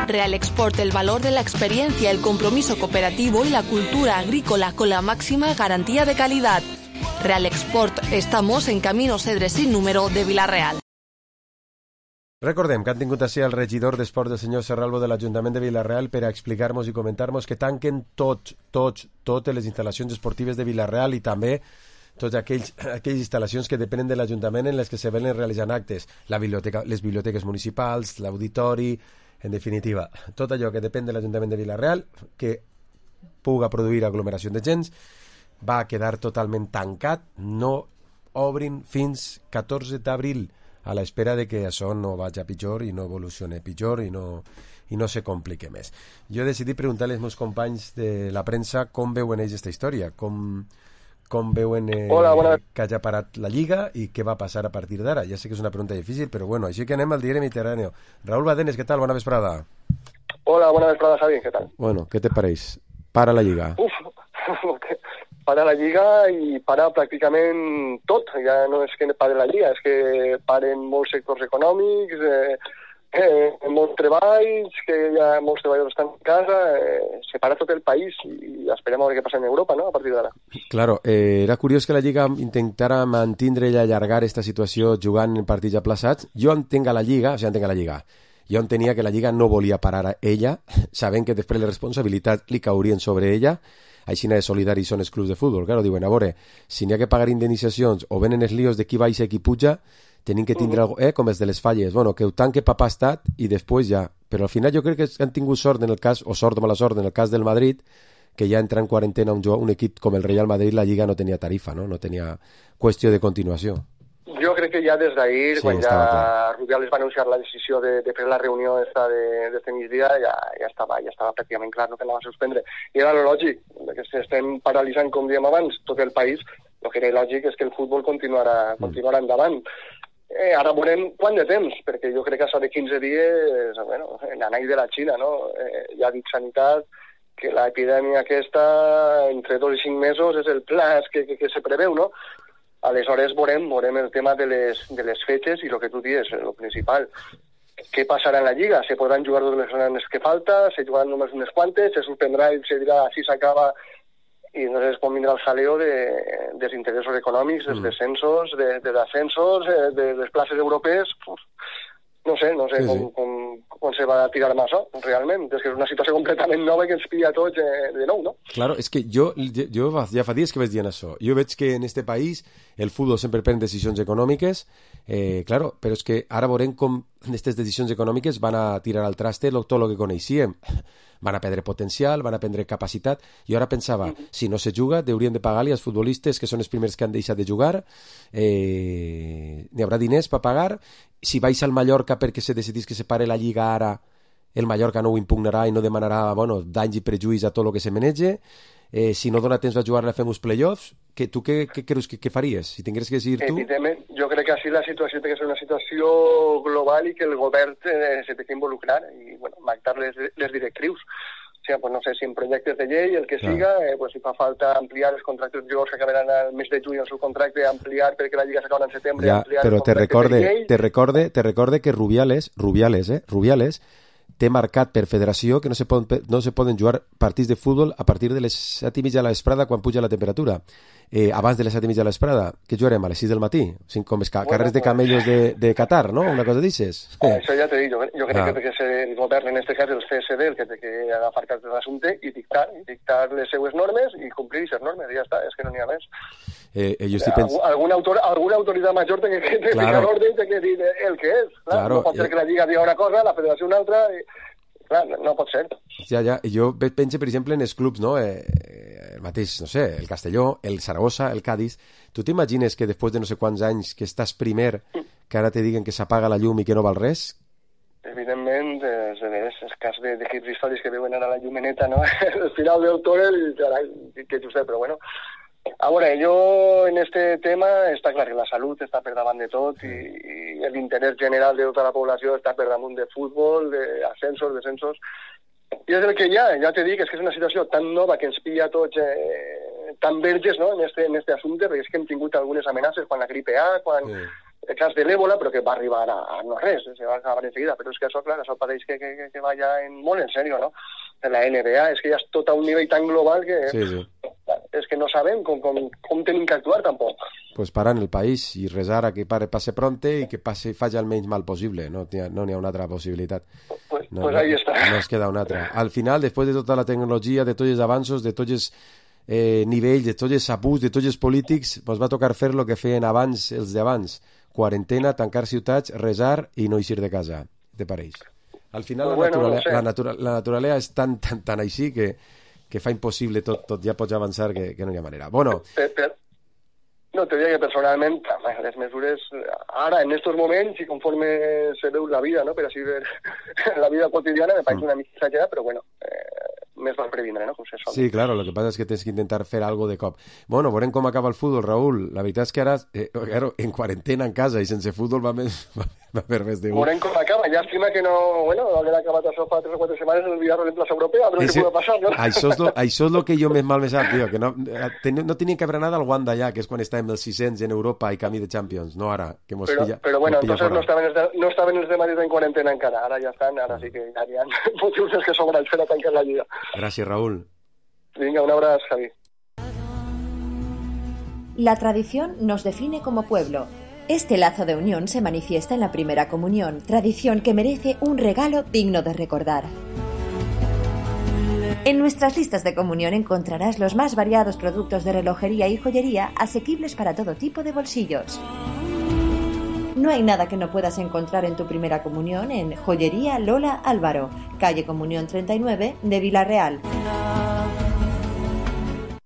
Real Export, el valor de la experiencia, el compromiso cooperativo y la cultura agrícola con la máxima garantía de calidad. Real Export, estamos en Camino Cedre sin número de Villarreal. Recordem que han tingut així el regidor d'Esport del senyor Serralvo de l'Ajuntament de Villarreal per a explicar-nos i comentar-nos que tanquen tots, tots, totes les instal·lacions esportives de Villarreal i també totes aquells, aquelles instal·lacions que depenen de l'Ajuntament en les que se venen realitzant actes, la biblioteca, les biblioteques municipals, l'auditori, en definitiva, tot allò que depèn de l'Ajuntament de Villarreal, que puga produir aglomeració de gens, va quedar totalment tancat, no obrin fins catorze d'abril, a l'espera de que això no vagi a pitjor i no evolucioni pitjor i no, i no se complique més. Jo he decidit preguntar als meus companys de la premsa com veuen ells aquesta història, com... com veuen eh, Hola, bona... que hagi parat la Lliga i què va passar a partir d'ara. Ja sé que és una pregunta difícil, però bueno, així que anem al diari Mediterrani. Raúl Badenes, què tal? Bona vesprada. Hola, bona vesprada, Javi, què tal? Bueno, què te pareix? Para la Lliga. Uf, para la Lliga i para pràcticament tot. Ja no és que pare la Lliga, és que paren molts sectors econòmics, eh, eh, molts treballs, que ja molts treballadors estan en casa, eh, se para tot el país i esperem a veure què passa en Europa, no?, a partir d'ara. Claro, eh, era curiós que la Lliga intentara mantindre i allargar aquesta situació jugant en partits aplaçats. Jo entenc a la Lliga, o sigui, entenc a la Lliga, jo entenia que la Lliga no volia parar a ella, sabent que després les responsabilitats li caurien sobre ella, així de solidaris són els clubs de futbol. Claro, diuen, a veure, si n'hi ha que pagar indemnitzacions o venen els líos de qui baixa i qui puja, tenim que tindre algo, eh, com els de les falles, bueno, que ho tanque papà estat i després ja. Però al final jo crec que han tingut sort en el cas, o sort o mala sort en el cas del Madrid, que ja entra en quarantena un, un equip com el Real Madrid, la Lliga no tenia tarifa, no, no tenia qüestió de continuació. Jo crec que ja des d'ahir, sí, quan ja clar. Rubiales va anunciar la decisió de, de fer la reunió esta de, de migdia, ja, ja, estava, ja estava pràcticament clar no, que anava a suspendre. I era lo lògic, que si estem paralitzant, com dèiem abans, tot el país, el que era lògic és que el futbol continuarà, mm. continuarà endavant. Eh, ara veurem quant de temps, perquè jo crec que això de quinze dies, bueno, l'anall de la Xina, no? Eh, ja ha dit Sanitat que l'epidèmia aquesta, entre dos i cinc mesos, és el pla que, que, que se preveu, no? Aleshores veurem, veurem el tema de les, de les fetges i el que tu dius, el principal. Què passarà en la Lliga? Se podran jugar totes les zones que falta, se jugaran només unes quantes, se suspendrà i se dirà si s'acaba i entonces pot vindre el jaleo de, dels interessos econòmics, dels descensos, de, de descensos, de les places europees. No sé, no sé sí, com, sí. Com, com se va a tirar amb això, realment. És que és una situació completament nova que ens pilla a tots de, de nou, no? Claro, és que jo, jo ja fa dies que vaig dient això. Jo veig que en este país el futbol sempre pren decisions econòmiques, eh, claro, però és que ara veurem com aquestes decisions econòmiques van a tirar al traste tot el que coneixíem. Van a perdre potencial, van a perdre capacitat. Jo ara pensava, mm-hmm. si no se juga, haurien de pagar-li als futbolistes, que són els primers que han deixat de jugar, eh, n'hi haurà diners per pagar. Si vais al Mallorca perquè se decidís que se pare la Lliga ara, el Mallorca no ho impugnarà i no demanarà bueno, danys i prejuís a tot el que se menege. Eh, si no dona temps a jugar, fem uns play-offs. Que, tu què, què creus que, que faries? Si tingués que decidir tu... Evidentment, jo crec que així la situació té que ser una situació global i que el govern eh, se té que involucrar i bueno, marcar les, les directrius. O sigui, pues no sé, si en projectes de llei, el que Clar. siga, eh, pues si fa falta ampliar els contractes de jugadors que acabaran al mes de juny el seu contracte, ampliar perquè la Lliga s'acaba en setembre, ja, ampliar però te recorde, te recorde, te recorde que Rubiales, Rubiales, eh, Rubiales té marcat per federació que no se poden, no se poden jugar partits de futbol a partir de les set i mitja de la vesprada quan puja la temperatura. Eh, abans de les set i mitja de la vesprada, que jugarem a les sis del matí? O sigui, com els ca bueno, carrers de camellos de, de Qatar, no? Una cosa d'aixes. Eh. Això ja t'he dit, jo, jo crec ah. que és el govern, en aquest cas el C S D, el que té que agafar cartes de l'assumpte i dictar, i dictar les seues normes i complir aquestes normes, i ja està, és que no n'hi ha més. Eh, eh, jo estic pens... Algun autor, alguna autoritat major té que ficar claro. l'ordre i té que dir el que és. Clar. Claro. No pot ser que la Lliga digui una cosa, la Federació una altra... I... Clar, no, no pot ser. Ja, ja. Jo penso, per exemple, en els clubs, no? Eh, el mateix, no sé, el Castelló, el Saragossa, el Cádiz. Tu t'imagines que després de no sé quants anys que estàs primer, que ara te diguen que s'apaga la llum i que no val res? Evidentment, és, és, és cas de, de hits històrics que veuen ara la llumeneta, no? El final del túnel, carai, que just, però bueno... A veure, jo en este tema està clar que la salut està per davant de tot i, i l'interès general de tota la població està per damunt de futbol, d'ascensos, descensos. I és el que hi ha, ja t'he dit, és que és una situació tan nova que ens pilla tots eh, tan verges, no?, en este, en este assumpte, perquè és que hem tingut algunes amenaces, quan la gripe A, quan sí. el cas de l'Ébola, però que va arribar a, a no res, se va acabar en seguida, però és que això, clar, això pareix que, que, que vaya en, molt en serio, no? En la N B A, és que ja és tot a un nivell tan global que sí, sí. és que no sabem com, com, com tenim que actuar tampoc. Pues parar en el país i resar a que pare passe pronte i que passe, faci el menys mal possible, no n'hi ha, no ha una altra possibilitat. Pues, no, pues ahí està. No es queda una altra. Al final, després de tota la tecnologia, de tots els avanços, de tots els eh, nivells, de tots els abusos, de tots els polítics, ens va tocar fer el que feien abans els d'abans. Quarantena, tancar ciutats, resar i no eixir de casa. Te pareix? Al final pues la, bueno, naturalea, no sé. la, natura, la naturalea és tan, tan, tan així que, que fa impossible tot, tot ja pots avançar que, que no hi ha manera. Bueno... Per, per, no, te diria que personalment les mesures, ara, en estos moments, i conforme se veu la vida, no?, per així ver la vida quotidiana, me pareix mm. una mica exagerada, però bueno, eh, més val previndre, no? Sí, claro, lo que pasa es que tens que intentar fer algo de cop. Bueno, veurem com acaba el futbol, Raúl. La veritat és que ara, eh, claro, en quarantena en casa i sense futbol va més... va per més de un. Veurem com acaba. Llàstima que no, bueno, haver acabat això fa tres o quatre setmanes en el Villarreal en plaça europea, però què pugui passar, no? Això és, lo, això és lo que jo més mal me sap, tio, que no, ten, no tenien que haver anat al Wanda ja, que és quan estàvem dels sis-cents en Europa i camí de Champions, no ara, que mos però, pilla. Però bueno, pilla entonces no estaven, els de, no estaven els de Madrid en quarantena encara, ara ja estan, ara sí que ja hi ha motius que sobran per a tancar la Lliga. Gràcies, Raúl. Venga, un abrazo, Javi. La tradición nos define como pueblo. Este lazo de unión se manifiesta en la primera comunión, tradición que merece un regalo digno de recordar. En nuestras listas de comunión encontrarás los más variados productos de relojería y joyería asequibles para todo tipo de bolsillos. No hay nada que no puedas encontrar en tu primera comunión en Joyería Lola Álvaro, calle Comunión treinta y nueve de Vila-real.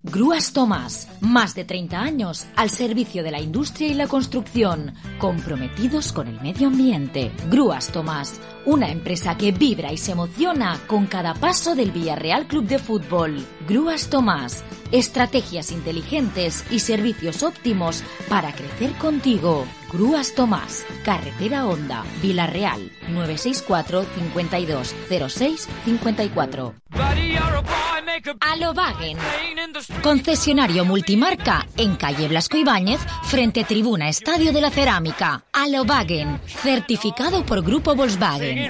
Grúas Tomás, más de treinta años al servicio de la industria y la construcción, comprometidos con el medio ambiente. Grúas Tomás, una empresa que vibra y se emociona con cada paso del Villarreal Club de Fútbol. Grúas Tomás, estrategias inteligentes y servicios óptimos para crecer contigo. Grúas Tomás, Carretera Honda, Vila-real, nueve seis cuatro, cincuenta y dos, cero seis, cincuenta y cuatro. Alobagen, concesionario multimarca en calle Blasco Ibáñez, frente Tribuna Estadio de la Cerámica. Alobagen, certificado por Grupo Volkswagen.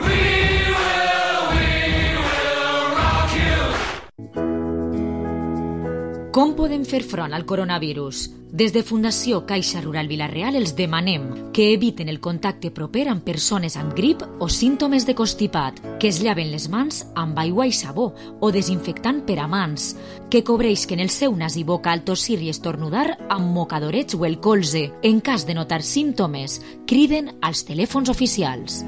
Com podem fer front al coronavirus? Des de Fundació Caixa Rural Vila-real els demanem que eviten el contacte proper amb persones amb grip o símptomes de constipat, que es llaven les mans amb aigua i sabó o desinfectant per a mans, que cobreixen el seu nas i boca al tossir i estornudar amb mocadorets o el colze. En cas de notar símptomes, criden als telèfons oficials.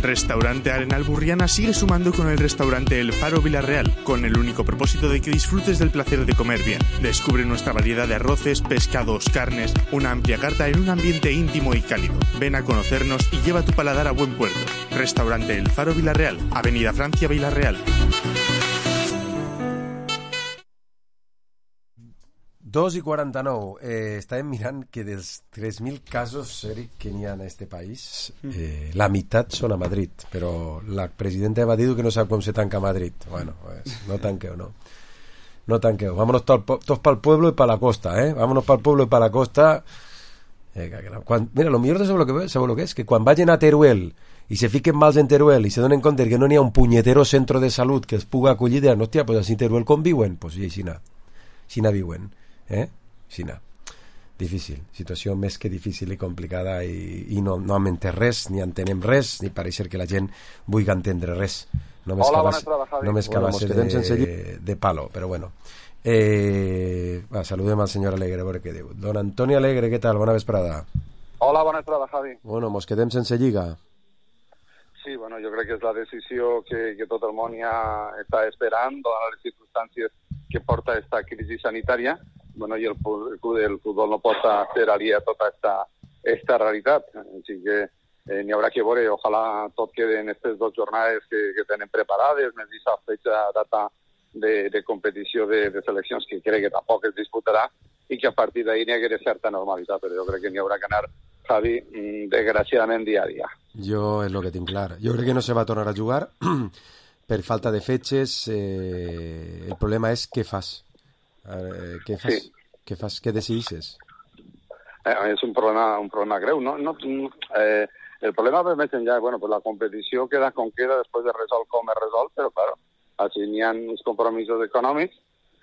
Restaurante Arenal Burriana sigue sumando con el restaurante El Faro Vila-real, con el único propósito de que disfrutes del placer de comer bien. Descubre nuestra variedad de arroces, pescados, carnes, una amplia carta en un ambiente íntimo y cálido. Ven a conocernos y lleva tu paladar a buen puerto. Restaurante El Faro Vila-real, Avenida Francia Vila-real. dos i quaranta-nou. Eh, estàvem mirant que dels tres mil casos, Eric, que n'hi ha en este país, eh, la meitat són a Madrid, però la presidenta va dir que no sap com se tanca Madrid. Bueno, pues, no tanqueu, no. No tanqueu. Vámonos todos pel pueblo y para la costa, ¿eh? Vámonos para el pueblo y para la costa. Eh, quan, mira, lo millor de saber lo que, saber lo que és que quan vagin a Teruel i se fiquen mals en Teruel i se donen compte que no n'hi ha un punyetero centre de salut que es puga acollir, diran, hòstia, pues així Teruel conviuen, pues sí, així na així na viuen, eh? Així na. Difícil, situació més que difícil i complicada i, i no, no hem entès res, ni entenem res, ni pareix que la gent vulgui entendre res. Només Hola, que bona tarda, Javi. Només que Bueno, va ser de, de palo, però bueno. Eh, va, saludem al senyor Alegre, a veure què diu. Don Antoni Alegre, què tal? Bona vesprada. Hola, bona tarda, Javi. Bueno, mos quedem sense lliga. Sí, bueno, jo crec que és la decisió que, que tot el món ja està esperant, donant les circumstàncies que porta esta crisi sanitària. Bueno, i el, el futbol no pot ser aliè a tota esta, esta realitat. Així que eh, n'hi haurà que veure, ojalà tot quede en aquestes dues jornades que, que tenen preparades, més aquesta fecha data de, de competició de, de seleccions que crec que tampoc es disputarà i que a partir d'ahir n'hi hagués certa normalitat, però jo crec que n'hi haurà que anar, Javi, desgraciadament dia a dia. Jo és el que tinc clar. Jo crec que no se va tornar a jugar per falta de fetges. Eh, el problema és què fas. Eh, què fas? Sí. Què fas? Què decideixes? Eh, és un problema, un problema greu, no? no eh, el problema va més enllà, bueno, pues la competició queda com queda després de resolt com es resol, però claro, així n'hi ha uns compromisos econòmics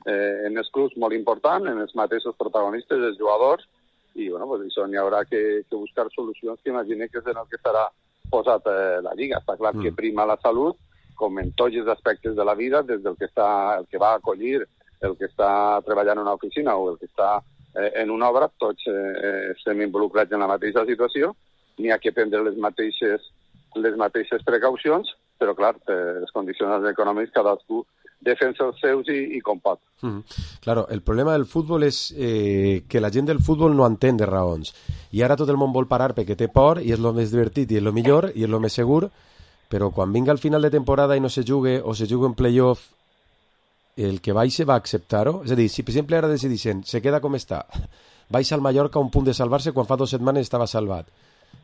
eh, en els clubs molt important, en els mateixos protagonistes, els jugadors, i bueno, pues això n'hi haurà que, que buscar solucions que imagine que és en el que estarà posat eh, la Lliga. Està clar mm. que prima la salut, com en tots els aspectes de la vida, des del que, està, el que va acollir, el que està treballant en una oficina o el que està eh, en una obra, tots eh, estem involucrats en la mateixa situació, n'hi ha que prendre les mateixes, les mateixes precaucions, però clar, eh, les condicions econòmiques cadascú defensa els seus i, i com pot. Mm. Claro, el problema del futbol és eh, que la gent del futbol no entén de raons. I ara tot el món vol parar perquè té por i és el més divertit i és el millor i és el més segur, però quan vinga al final de temporada i no se jugue o se jugue en playoff, el que baixe va acceptar-ho? És a dir, si per exemple ara decidissin, se queda com està, baixa al Mallorca a un punt de salvar-se quan fa dues setmanes estava salvat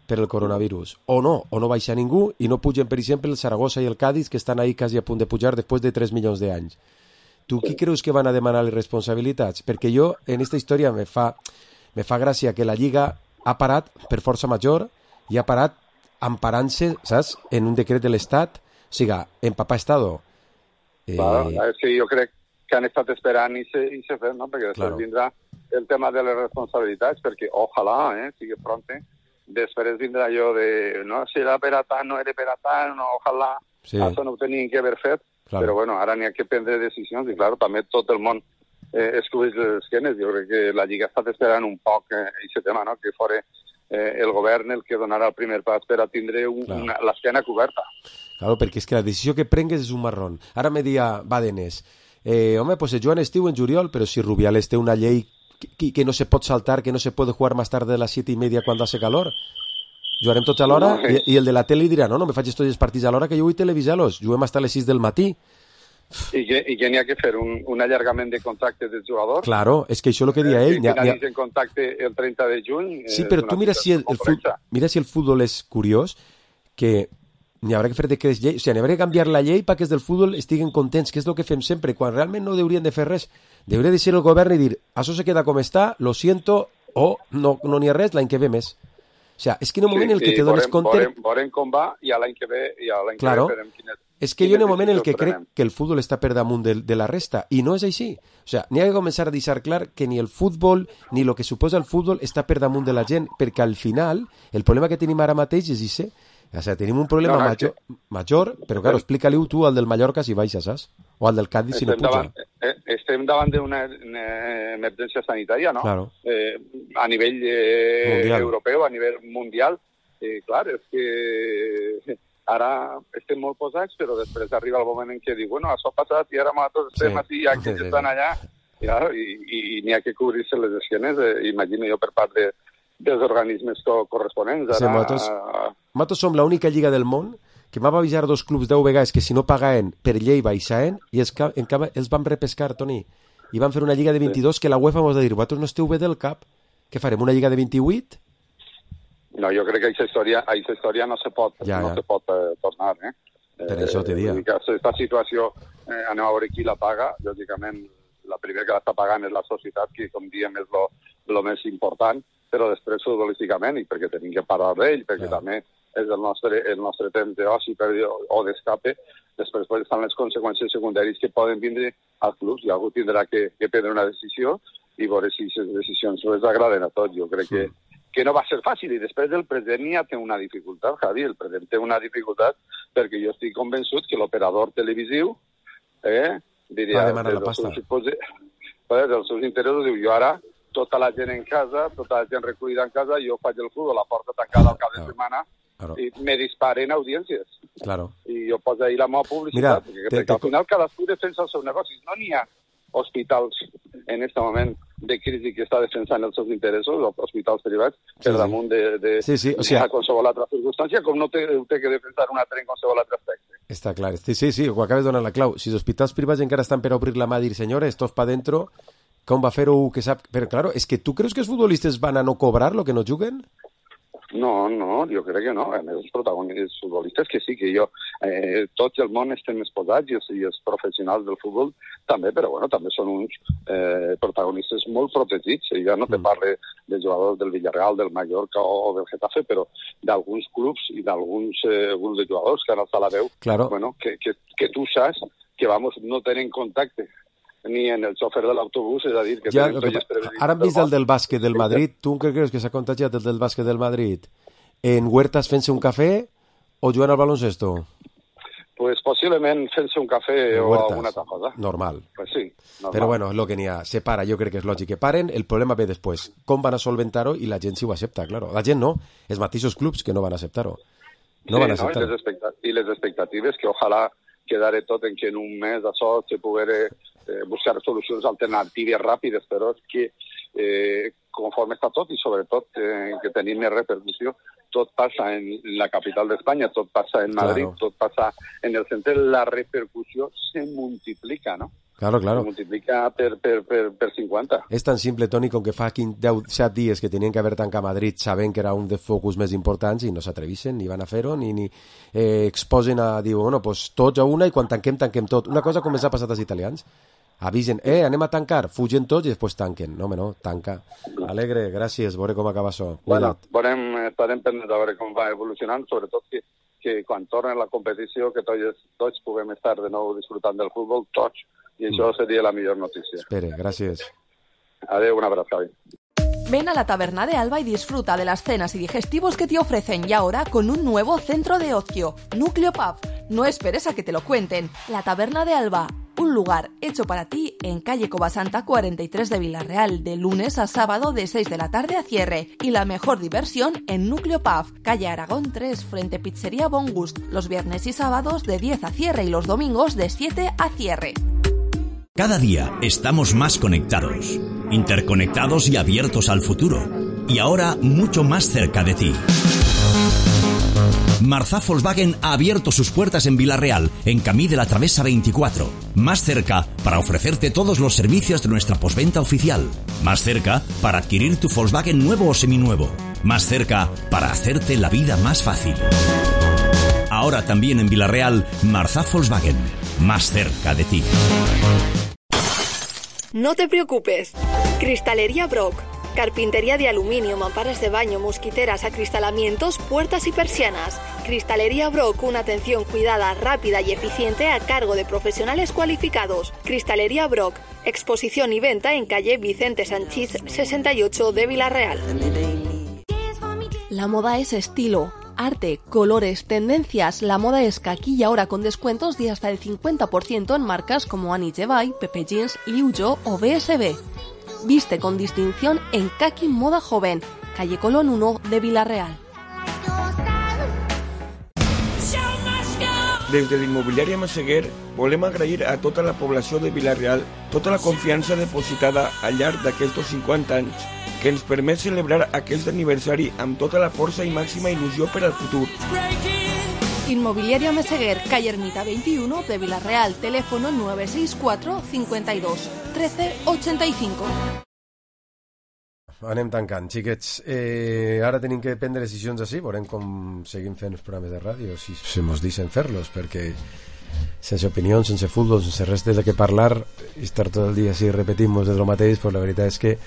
per el coronavirus, o no, o no baixa ningú i no pugen, per exemple, el Saragossa i el Cádiz, que estan ahí quasi a punt de pujar després de tres milions d'anys. Tu qui creus que van a demanar les responsabilitats? Perquè jo, en aquesta història, me fa, me fa gràcia que la Lliga ha parat per força major i ha parat amparant-se, saps?, en un decret de l'Estat, o sigui, en papà estado. Eh... Claro, és que jo crec que han estat esperant i se, i se fet, no?, perquè després claro. Vindrà el tema de les responsabilitats, perquè ojalà, eh, sigui pronte, després vindrà jo de, no, si era per a tant, no era per a tant, no, ojalà, sí. Això no ho tenien que haver fet, claro. Però bueno, ara n'hi ha que prendre decisions i, clar, també tot el món eh, escueix les esquenes. Jo crec que la Lliga està esperant un poc aquest eh, tema, no?, que fora eh, el govern el que donarà el primer pas per a tindre un, claro. una, l'esquena coberta. Claro, perquè és que la decisió que prengues és un marrón. Ara me dia Badenes, eh, home, pues el Joan estiu en juliol, però si Rubiales té una llei que, que no se pot saltar, que no se puede jugar más tarde de las siete y media cuando hace calor. Jugarem tots a l'hora no, sí. i, i el de la tele dirà, no, no me faig tots els partits a l'hora que jo vull televisar-los, juguem hasta les sis del matí. I que, i que n'hi ha que fer un, un allargament de contractes dels jugadors. Claro, és que això és el que dia ell. Que finalitzen ha... contracte el trenta de juny. Sí, però tu mira si el, el futbol, mira si el futbol és curiós, que n'hi haurà que fer decrets llei, o sigui, n'hi haurà que canviar la llei perquè els del futbol estiguen contents, que és el que fem sempre, quan realment no haurien de fer res. Hauria de ser el govern i dir, això se queda com està, lo siento, o no no n'hi ha res, l'any que ve més. O sea, és que en un moment sí, en el que sí, te dones compte... Veurem, veurem com va i a l'any que ve, i a l'any claro. que ve verem quines... És que jo en un moment en el que crec que el futbol està per damunt de, de la resta, i no és així. O sea, n'hi ha que començar a deixar clar que ni el futbol, ni el que suposa el futbol està per damunt de la gent, perquè al final, el problema que tenim ara mateix és això. O sea, tenim un problema no, no, major, que... major, però claro, explica-li-ho tu al del Mallorca si baixa, saps? O al del Cádiz si no puja. Davant, eh, estem davant d'una emergència sanitària, no? Claro. Eh, a nivell eh, europeu, a nivell mundial. Eh, clar, és que ara estem molt posats, però després arriba el moment en què diu, bueno, això ha passat i ara nosaltres estem sí. Així, ja que sí, sí, estan allà, i, clar, i, i, i n'hi ha que cobrir-se les esquenes, eh, imagino jo, per part de, dels organismes co corresponents. Ara... Sí, nosaltres, nosaltres som l'única lliga del món que m'ha avisar dos clubs deu vegades que si no pagaven per llei baixaven i els, en canvi els van repescar, Toni, i van fer una lliga de vint-i-dos sí. Que la UEFA mos va dir, vosaltres no esteu bé del cap, què farem, una lliga de vint-i-vuit? No, jo crec que aquesta història, aquesta història no se pot, ja, no ja. se pot eh, tornar. Eh? Per això te dia. Aquesta situació, eh, anem a veure qui la paga. Lògicament, la primera que l'està pagant és la societat, que, com diem, és lo, lo més important, però després futbolísticament, i perquè tenim que parlar d'ell, perquè Clar. també és el nostre, el nostre temps d'oci per, o d'escape, després estan les conseqüències secundàries que poden vindre als clubs, i algú tindrà que, que prendre una decisió i veure si les decisions les agraden a tots. Jo crec sí. que, que no va ser fàcil, i després el president ja té una dificultat, Javi, el president té una dificultat perquè jo estic convençut que l'operador televisiu eh, diria... Va demanar la pasta. Seus, dels seus interessos, diu, jo ara tota la gent en casa, tota la gent recollida en casa, jo faig el futbol, la porta tancada al cap de setmana, claro. I me disparen audiències. Claro. I jo poso ahir la meva publicitat, Mira, perquè, te, perquè te... al final cadascú defensa el seu negoci. No n'hi ha hospitals en aquest moment de crisi que està defensant els seus interessos, o hospitals privats, per sí, damunt de, de, sí, sí. O sigui, de qualsevol altra circumstància, com no té, té que defensar un altre en qualsevol altre aspecte. Està clar. Sí, sí, sí, ho acabes de donar la clau. Si els hospitals privats encara estan per obrir la mà i dir, senyores, tots pa dentro, com va fer-ho que sap... Però, claro, és que tu creus que els futbolistes van a no cobrar lo que no juguen? No, no, jo crec que no. A més, els protagonistes futbolistes que sí, que jo... Eh, tots el món estem exposats i els, i els professionals del futbol també, però bueno, també són uns eh, protagonistes molt protegits. I ja no te parle de jugadors del Villarreal, del Mallorca o, o del Getafe, però d'alguns clubs i d'alguns eh, grups de jugadors que han alçat la veu, claro. bueno, que, que, que tu saps que vamos, no tenen contacte ni en el xofer de l'autobús, és a dir, que ja, tenen tolles per... Ara hem vist el del bàsquet del Madrid. Tu què creus que s'ha contagiat el del bàsquet del Madrid? En Huertas fent-se un cafè o jugant al baloncesto? Pues posiblement fent-se un cafè o alguna altra cosa. Normal. Pues sí, normal. Però bueno, és el que n'hi ha. Se para, jo crec que és lògic que paren. El problema ve després. Com van a solventar-ho i la gent si ho accepta, claro. La gent no. Els mateixos clubs que no van acceptar-ho. No sí, van acceptar-ho. No? I, les I les expectatives que ojalà quedare tot en que en un mes això se poguera eh, buscar solucions alternatives ràpides, però és que eh, conforme està tot i sobretot eh, que tenim més repercussió, tot passa en la capital d'Espanya, tot passa en Madrid, claro. Tot passa en el centre, la repercussió se multiplica, no? Claro, claro. Se multiplica per, per, per, per cinquanta. És tan simple, Toni, com que fa deu, set dies que tenien que haver tancat Madrid sabent que era un dels focus més importants i no s'atreveixen, ni van a fer-ho, ni, ni eh, exposen a dir, bueno, pues tots a una i quan tanquem, tanquem tot. Una cosa com ens ha passat als italians. Avisen, eh, anem a tancar, fugen tots i després tanquen. No, home, no, tanca. Alegre, gràcies, veure com acaba això. Bueno, veurem, estarem pendents a veure com va evolucionant, sobretot que, que quan torni la competició, que tots, tots puguem estar de nou disfrutant del futbol, tots, i això seria la millor notícia. Espere, gràcies. Adeu, un abrazo, Javi. Ven a la Taberna de Alba y disfruta de las cenas y digestivos que te ofrecen y ahora con un nuevo centro de ocio, Núcleo Pub. No esperes a que te lo cuenten. La Taberna de Alba, un lugar hecho para ti en calle Covasanta cuarenta y tres de Villarreal, de lunes a sábado de seis de la tarde a cierre. Y la mejor diversión en Núcleo Pub, calle Aragón tres, frente Pizzería Bon Gust, los viernes y sábados de diez a cierre y los domingos de siete a cierre. Cada día estamos más conectados, interconectados y abiertos al futuro. Y ahora mucho más cerca de ti. Marzá Volkswagen ha abierto sus puertas en Villarreal, en Camí de la Travesa veinticuatro. Más cerca para ofrecerte todos los servicios de nuestra postventa oficial. Más cerca para adquirir tu Volkswagen nuevo o seminuevo. Más cerca para hacerte la vida más fácil. Ahora también en Villarreal, Marzá Volkswagen. Más cerca de ti. No te preocupes. Cristalería Brock. Carpintería de aluminio, mamparas de baño, mosquiteras, acristalamientos, puertas y persianas. Cristalería Brock, una atención cuidada, rápida y eficiente a cargo de profesionales cualificados. Cristalería Brock, exposición y venta en calle Vicente Sanchís sesenta y ocho de Villarreal. La moda es estilo, arte, colores, tendencias. La moda es kaki y ahora con descuentos de hasta el cincuenta por ciento en marcas como Annie Jevay, Pepe Jeans, Liu Yo o B S B. Viste con distinción en Kaki Moda Joven, calle Colón uno de Villarreal. Des de l'immobiliària Massaguer volem agrair a tota la població de Villarreal tota la confiança depositada al llarg d'aquests cinquanta anys que ens permet celebrar aquest aniversari amb tota la força i màxima il·lusió per al futur. Inmobiliaria Meseguer, calle Ermita veintiuno de Villarreal, teléfono nueve seis cuatro cincuenta y dos trece ochenta y cinco. Anem tancant, xiquets. Eh, ara tenim que prendre decisions així, veurem com seguim fent els programes de ràdio, si se mos deixen fer-los, perquè sense opinió, sense futbol, sense res de què parlar, i estar tot el dia així repetint-nos de lo mateix, pues la veritat és que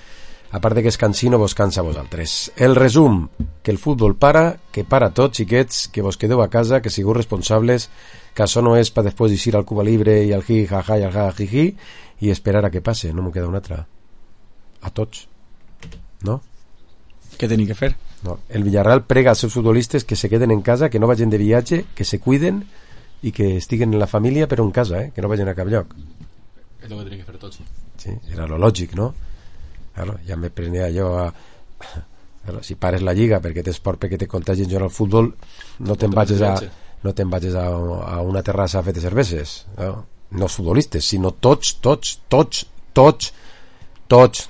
a part de que és cansino, vos cansa a vosaltres. El resum, que el futbol para, que para tot, xiquets, que vos quedeu a casa, que sigueu responsables, que això no és per després ir al Cuba Libre i al hi, ja, ja, i al ja, ji, ji, i esperar a que passe, no m'ho queda una altra. A tots. No? Què teni que fer? No. El Villarreal prega als seus futbolistes que se queden en casa, que no vagin de viatge, que se cuiden i que estiguen en la família però en casa, eh? Que no vagin a cap lloc. És el que tenia que fer tots. Sí, era lo lògic, no? Claro, ja me prenia jo a... Claro, si pares la lliga perquè tens por perquè te contagien jo en el futbol, no te'n vagis a no te'n vagis a, a una terrassa a fer de cerveses, no? No els futbolistes, sinó tots, tots, tots, tots, tots,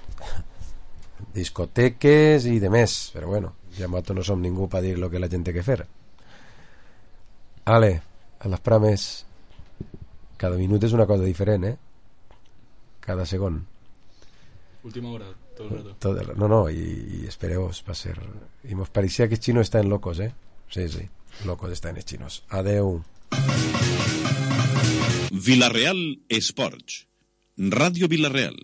discoteques i de més, però bueno, ja nosaltres no som ningú per dir lo que la gent té que fer. Ale, a les prames cada minut és una cosa diferent, eh? Cada segon. Última hora, todo el rato. Todo el... No, no, y, y espereos va a ser... Y nos parecía que els chinos están locos, eh? Sí, sí, locos están els chinos. Adeu. Villarreal Esports. Ràdio Villarreal.